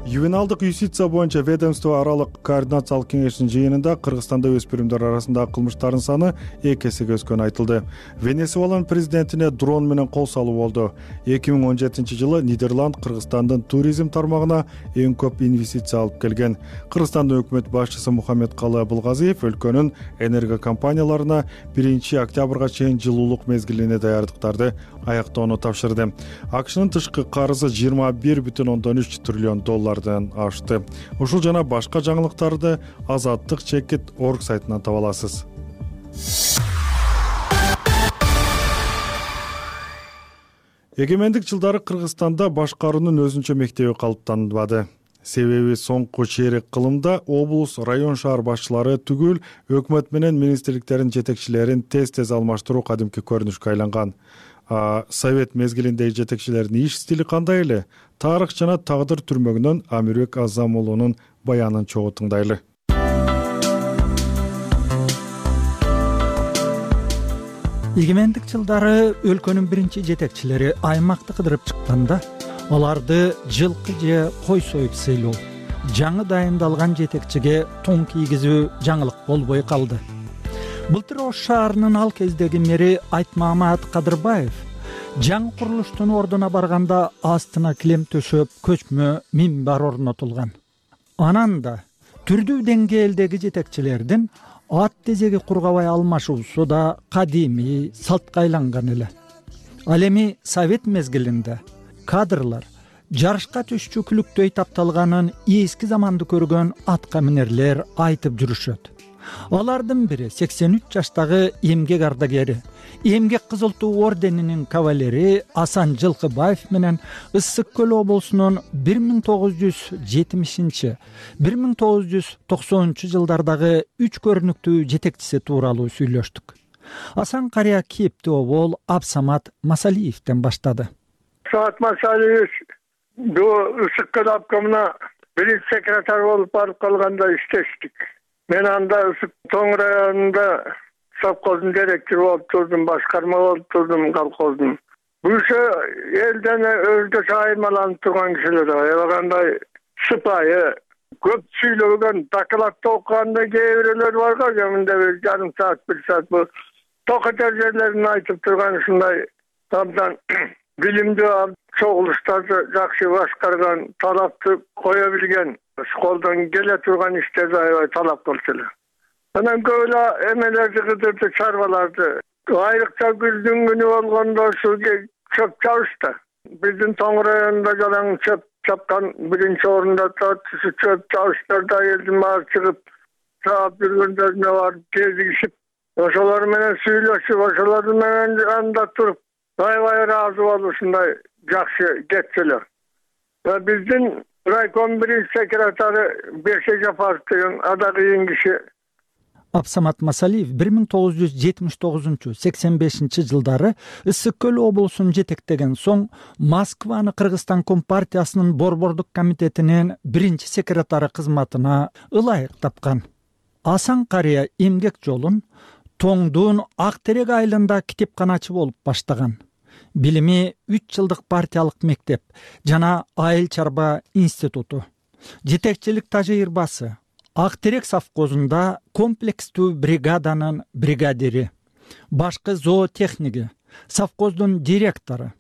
ювеналдык юстиция боюнча ведомство аралык координациялык кеңештин жыйынында Кыргызстанда өспүрүмдөр арасындагы кылмыштардын саны эки эсеге өскөнү айтылды. Венесуэланын президентине дрон менен кол салуу болду. эки миң он жетинчи жылы Нидерланд Кыргызстандын туризм тармагына эң көп инвестиция алып келген. Кыргызстандын өкмөт башчысы Мухаммедкалы Абылгазиев өлкөнүн энерго компанияларына биринчи октябрга чейин жылуулук мезгилине даярдыктарды аяктоону тапшырды. АКШнын тышкы карызы жыйырма бир бүтүн ондон үч триллион доллардан ашты. Ушул жана башка жаңылыктарды Азаттык чекит орг сайтынан таба аласыз. Эгемендик жылдары Кыргызстанда башкаруунун өзүнчө мектеби калыптанбады. Себеби соңку чейрек кылымда облус, район, шаар башчылары түгүл өкмөт менен министрликтердин жетекчилерин тез-тез алмаштыруу кадимки көрүнүшкө айланган. А совет мезгилиндеги жетекчилердин иш стили кандай эле? Тарых жана тагдыр түрмөгүнөн Амирбек Азамулунун баянын чогуу тыңдайлы. Эгемендик жылдары өлкөнүн биринчи жетекчилери аймакты кыдырып чыкканда, аларды жылкы же кой союп сыйлоо, жаңы дайындалган жетекчиге тоң кийгизүү жаңылык болбой калды. Былтыр Ош шаарынын ал кездеги мэри Айтмамат Кадырбаев жаңы курулуштун ордуна барганда астына килем төшөп көчмө минбар орнотулган. Анан да түрдүү деңгээлдеги жетекчилердин ат тезеги кургабай алмашуусу да кадимий салтка айланган эле. Ал эми совет мезгилинде кадрлар жарышка түшчүклүктөй тапталганын эски заманды көргөн атка минерлер айтып жүрүшөт. Алардын бири сексен үч жаштагы эмгек ардагери, эмгек кызыл туу орденинин кавалери Асан Жылкыбаев менен Ысык көл облусунун бир миң тогуз жүз жетимишинчи — бир миң тогуз жүз токсонунчу жылдардагы үч көрүнүктүү жетекчиси тууралуу сүйлөштүк. Асан карыя кепти обол Абсамат Масалиевден баштады. Абсамат Масалиев до Ысык көл обкомуна биринчи секретарь болуп барып калганда иштештик. Мен анда Ысык Тоң районунда совхоздун директору болуп турдум, башкарма болуп турдум колхоздун. Бушу элден өзгөчө айырмаланып турган кишилер, аябагандай сыпайы, көп сүйлөгөн, докладты окуганда кээ бирөөлөр барга, кеминде бир жарым саат, бир саат бул токот жерлерин айтып турган ушундай абдан билимдүү, чогулуштарды жакшы башкарган, талапты кое билген, школдон келе турган иштерди аябай талап кылчу эле. Анан көп эле эмелерди кыдырды, чарбаларды. Айрыкча күздүн күнү болгондо ушу чөп чабышты. Биздин Тоң районунда жалаң чөп чапкан биринчи орунда турат. Ушу чөп чабыштарда элдин баары чыгып, чаап жүргөндөрүнө барып кезигишип, ошолор менен сүйлөшүп, ошолор менен анда туруп, аябай ыраазы болуп ушундай жакшы кетчү эле. Биздин райком биринчи секретары Беше Жапаров деген ада кыйын киши. Абсамат Масалиев бир миң тогуз жүз жетимиш тогузунчу — сексен бешинчи жылдары Ысык көл облусун жетектеген соң Москваны Кыргызстан Компартиясынын борбордук комитетинин биринчи секретары кызматына ылайык тапкан. Асан карыя эмгек жолун Тоңдун Ак терек айылында китепканачы болуп баштаган. Билими үч жылдык партиялык мектеп жана айыл чарба институту. Жетекчилик тажрыйбасы. Ак терек совхозунда комплекстүү бригаданын бригадири, башкы зоотехниги, совхоздун директору,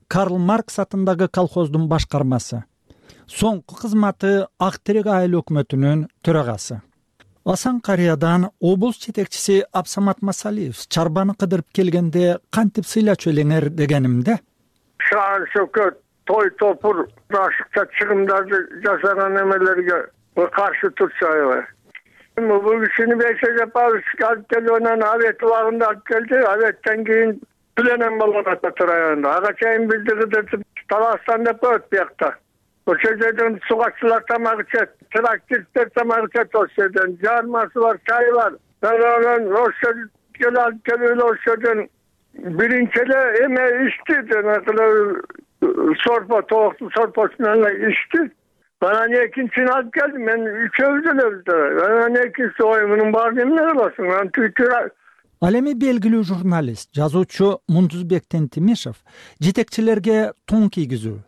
Карл Маркс атындагы колхоздун башкармасы. Соңку кызматы Ак терек айыл өкмөтүнүн төрагасы. Асан карыядан облус жетекчиси Абсамат Масалиев чарбаны кыдырып келгенде кантип сыйлачу элеңер дегенимде, шаар шөкөт, той топур, ашыкча чыгымдарды жасаган эмелерге каршы турчу аябай. Бул кишини Беше Жапаров алып келип, анан Абет убагында алып келди. Абеттен кийин пленен болгон Ата районунда. Ага чейин бизди кыдыртып Таластан деп коет биякта. Ошол жерден сугаччылар тамак ичет, тракторчулар тамак ичет, ошол жерден жармасы бар, чайы бар. Анан ошол келип алып келип ошодон биринчи эле эме ичти, жанагы сорпо, тооктун сорпосу менен ичти. Анан экинчисин алып келдим, мен үчөөбүз элебиз. Анан экинчиси ой, мунун баарын эмне кыласың? Анан түйтүр. Ал эми белгилүү журналист, жазуучу Мундузбек Тентимишев жетекчилерге тоң кийгизүү,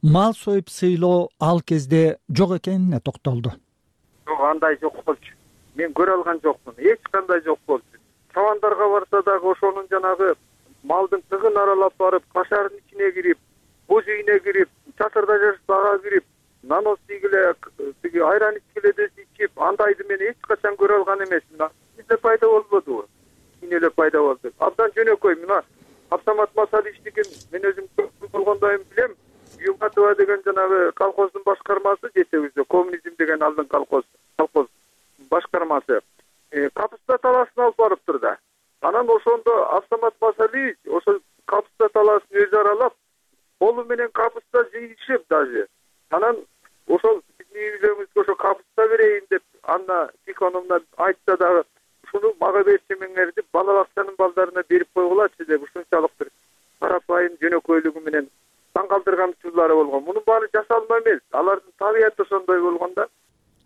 мал союп сыйлоо ал кезде жок экенине токтолду. Жок, андай жок болчу. Мен көрө алган жокмун. Эч кандай жок болчу. Чабандарга барса дагы ошонун жанагы малдын тыгын аралап барып, кашардын ичине кирип, боз үйүнө кирип, чатырда жашып, ага кирип, нанос ийгиле, тиги айран ичкиле десе ичип, андайды мен эч качан көрө алган эмесмин. Бизде пайда болбодубу? Кийин эле пайда болду. Абдан жөнөкөй. Мына Абсамат Масаличтигин мен өзүм көп болгондойм билем. Югатова деген жанагы колхоздун башкармасы жетегибизде, коммунизм деген алдын колхоз, колхоз башкармасы. Капыста таласын алып барыптыр да. Анан ошондо Абсамат Масалич ошо капыста таласын өзү аралап, колу менен капыста жыйышып даже. Анан ошол биздин үйлөрүбүзгө ошо капыста берейин деп Анна Тихоновна айтса дагы, ушуну мага берчимиңер деп бала бакчанын балдарына берип койгулачы деп ушунчалык бир карапайым жөнөкөйлүгү менен таң калтырган учурлары болгон. Мунун баары жасалма эмес. Алардын табияты ошондой болгон да.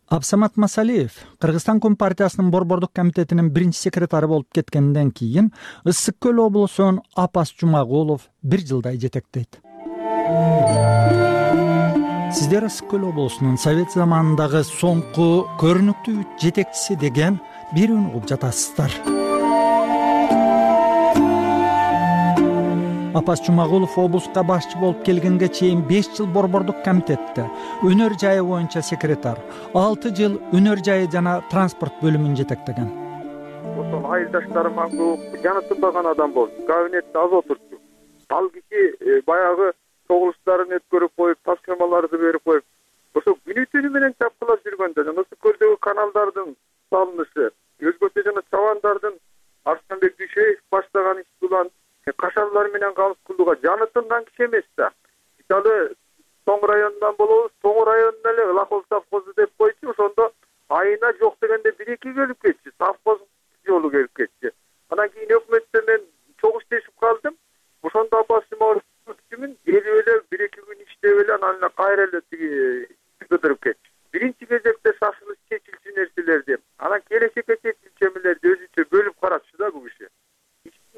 Абсамат Масалиев Кыргызстан Компартиясынын Борбордук комитетинин биринчи секретары болуп кеткенден кийин Ысык Көл облусун Апас Жумагулов бир жылдай жетектейт. Сиздер Ысык Көл облусунун Совет заманындагы соңку көрүнүктүү жетекчиси деген бирүүнү угуп жатасыздар. Апас Жумагулов облуска башчы болуп келгенге чейин беш жыл Борбордук комитетте өнөр жайы боюнча секретар, алты жыл өнөр жайы жана транспорт бөлүмүн жетектеген. Ошол айылдаштарыма көп жанытылбаган адам болду. Кабинетте аз отурчу. Ал киши баягы чогулуштарын өткөрүп коюп, тапшырмаларды берип коюп, ошо күнү түнү менен чапкылап жүргөндө жана Ысык Көлдөгү каналдардын салынышы, өзгөчө жана чабандардын Арсланбек Дүйшөев баштаган иш булан кашарлар менен калыс кылууга жанытылган киши эмес да. Мисалы Тоң районунан болобуз, Тоң районунан эле Лаков совхозу деп койчу, ошондо айына жок дегенде бир эки келип кетчү, совхоз жолу келип кетчү. Анан кийин өкмөттө мен чогуш тешип калдым. Ошондо Апас Жумагуловдун элип эле бир эки күн иштеп эле анан эле кайра эле тиги кыдырып кетчү. Биринчи кезекте шашылыш чечилчү нерселерди, анан келечекке чечилчү эмелерди өзүнчө бөлүп карачу да бул киши.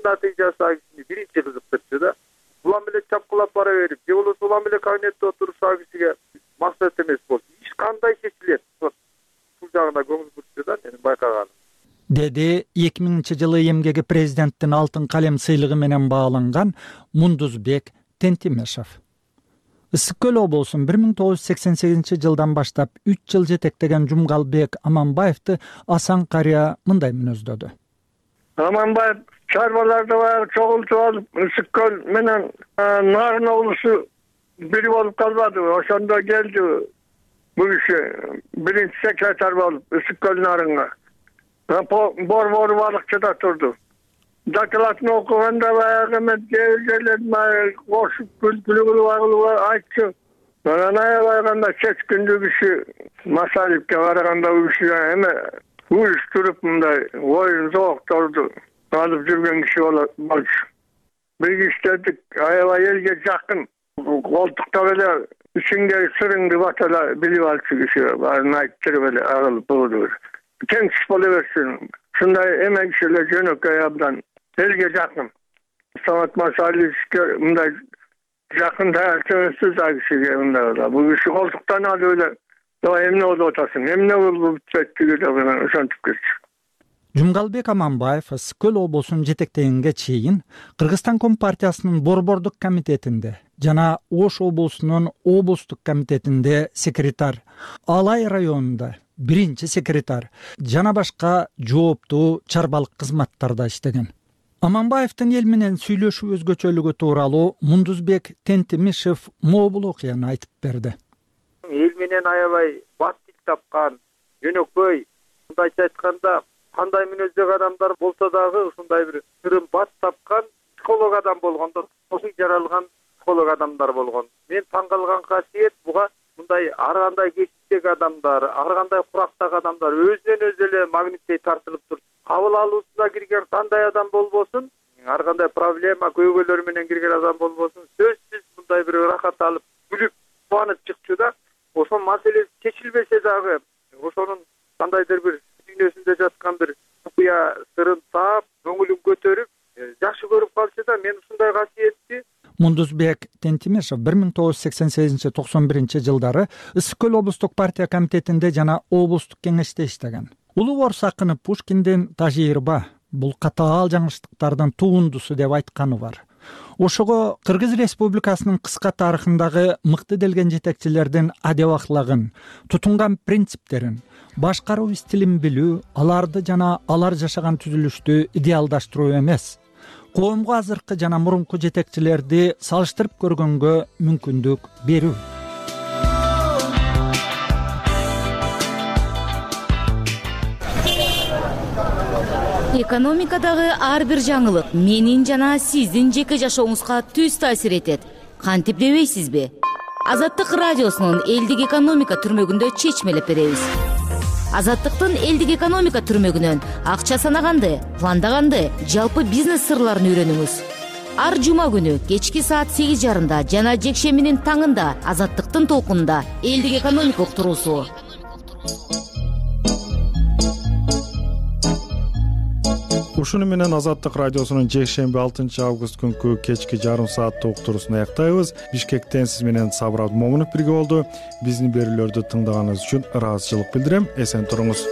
Натыйжасы биринчи кызыктырчу да. Улам эле чапкылап бара берип, же болбосо улам эле кабинетте отуруп ал кишиге максат эмес болчу. Иш кандай чечилет? Бул жагына көңүл бурчу да менин байкаганым. Деди эки миңинчи жылы эмгеги президенттин алтын калем сыйлыгы менен бааланган Мундузбек Тентимешев. Ысык Көл облусун бир миң тогуз жүз сексен сегизинчи жылдан баштап үч жыл жетектеген Жумгалбек Аманбаевди Асан карыя мындай мүнөздөдү. Аманбаев чарбаларды баягы чогултуп алып, Ысык Көл менен Нарын облусу бири болуп калбадыбы? Ошондо келди бул киши биринчи секретарь болуп Ысык Көл Нарынга. Борбору балыкчыда турду. Докладын окуганда баягы мен жерлерин кошуп күлкүлүү кылып айтчу. Анан аябай чет күндү киши Масалевке караганда бул киши эме уюштуруп мындай оюн зоокторду алып жүргөн киши болчу. Бир иштедик, аябай элге жакын. Колтуктап эле ичиңдеги сырыңды бата эле билип алчу киши. Баарын айттырып эле агылып болду. Тең киши боло берсин. Ушундай эме кишилер жөнөкөй абдан элге жакын. Самат Масаличке мындай жакын таасирсиз кишиге мындай. Бул киши колтуктан алып эле эмне болуп атасың, эмне болуп бүттү деп ошентип кетчү. Жумгалбек Аманбаев Ысык Көл облусун жетектегенге чейин Кыргызстан Компартиясынын Борбордук комитетинде жана Ош облусунун облустук комитетинде секретарь, Алай районунда биринчи секретарь жана башка жооптуу чарбалык кызматтарда иштеген. Аманбаевдин эл менен сүйлөшүү өзгөчөлүгү тууралуу Мундузбек Тентимешев могул окуяны айтып берди. Эл менен аябай бат тил тапкан, жөнөкөй, мындайча айтканда кандай мүнөздөгү адамдар болсо дагы ушундай бир сырым бат тапкан психолог адам болгондо, ошол жаралган психолог адамдар болгон. Мен таң калган касиет буга мындай ар кандай кесиптеги адамдар, ар кандай курактагы адамдар өзүнөн өзү эле магниттей тартылып турат. Кабыл алуусуна кирген кандай адам болбосун, ар кандай проблема, көйгөйлөр менен кирген адам болбосун, сөзсүз мындай бир ырахат алып, күлүп, кубанып чыкчу да. Ошол маселе чечилбесе дагы, ошонун кандайдыр бир дүйнөсүндө жаткан бир купуя сырын таап, көңүлүн көтөрүп, жакшы көрүп калчу да. Мен ушундай касиетти Мундузбек Тентимешев бир миң тогуз жүз сексен сегизинчи токсон биринчи жылдары Ысык көл облустук партия комитетинде жана облустук кеңеште иштеген. Улуу орус акыны Пушкиндин тажирба бул катаал жаңылыштыктардын туундусу деп айтканы бар. Ошого Кыргыз Республикасынын кыска тарыхындагы мыкты делген жетекчилердин адеп аклагын, тутунган принциптерин, башкаруу стилин билүү, аларды жана алар жашаган түзүлүштү идеалдаштыруу эмес, коомго азыркы жана мурунку жетекчилерди салыштырып көргөнгө мүмкүндүк берүү. Экономикадагы ар бир жаңылык менин жана сиздин жеке жашооңузга түз таасир этет. Кантип дебейсизби? Азаттык радиосунун элдик экономика түрмөгүндө чечмелеп беребиз. Азаттыктын элдик экономика түрмөгүнөн акча санаганды, пландаганды, жалпы бизнес сырларын үйрөнүңүз. Ар жума күнү кечки саат сегиз жарымда жана жекшембинин таңында Азаттыктын толкунунда элдик экономика уктуруусу. Ушуну менен Азаттык радиосунун жекшемби алтынчы август күнкү кечки жарым сааттык уктуруусун аяктайбыз. Бишкектен сиз менен Сабыр Абдымомунов бирге болду. Биздин берүүлөрдү тыңдаганыңыз үчүн ыраазычылык билдирем. Эсен туруңуз.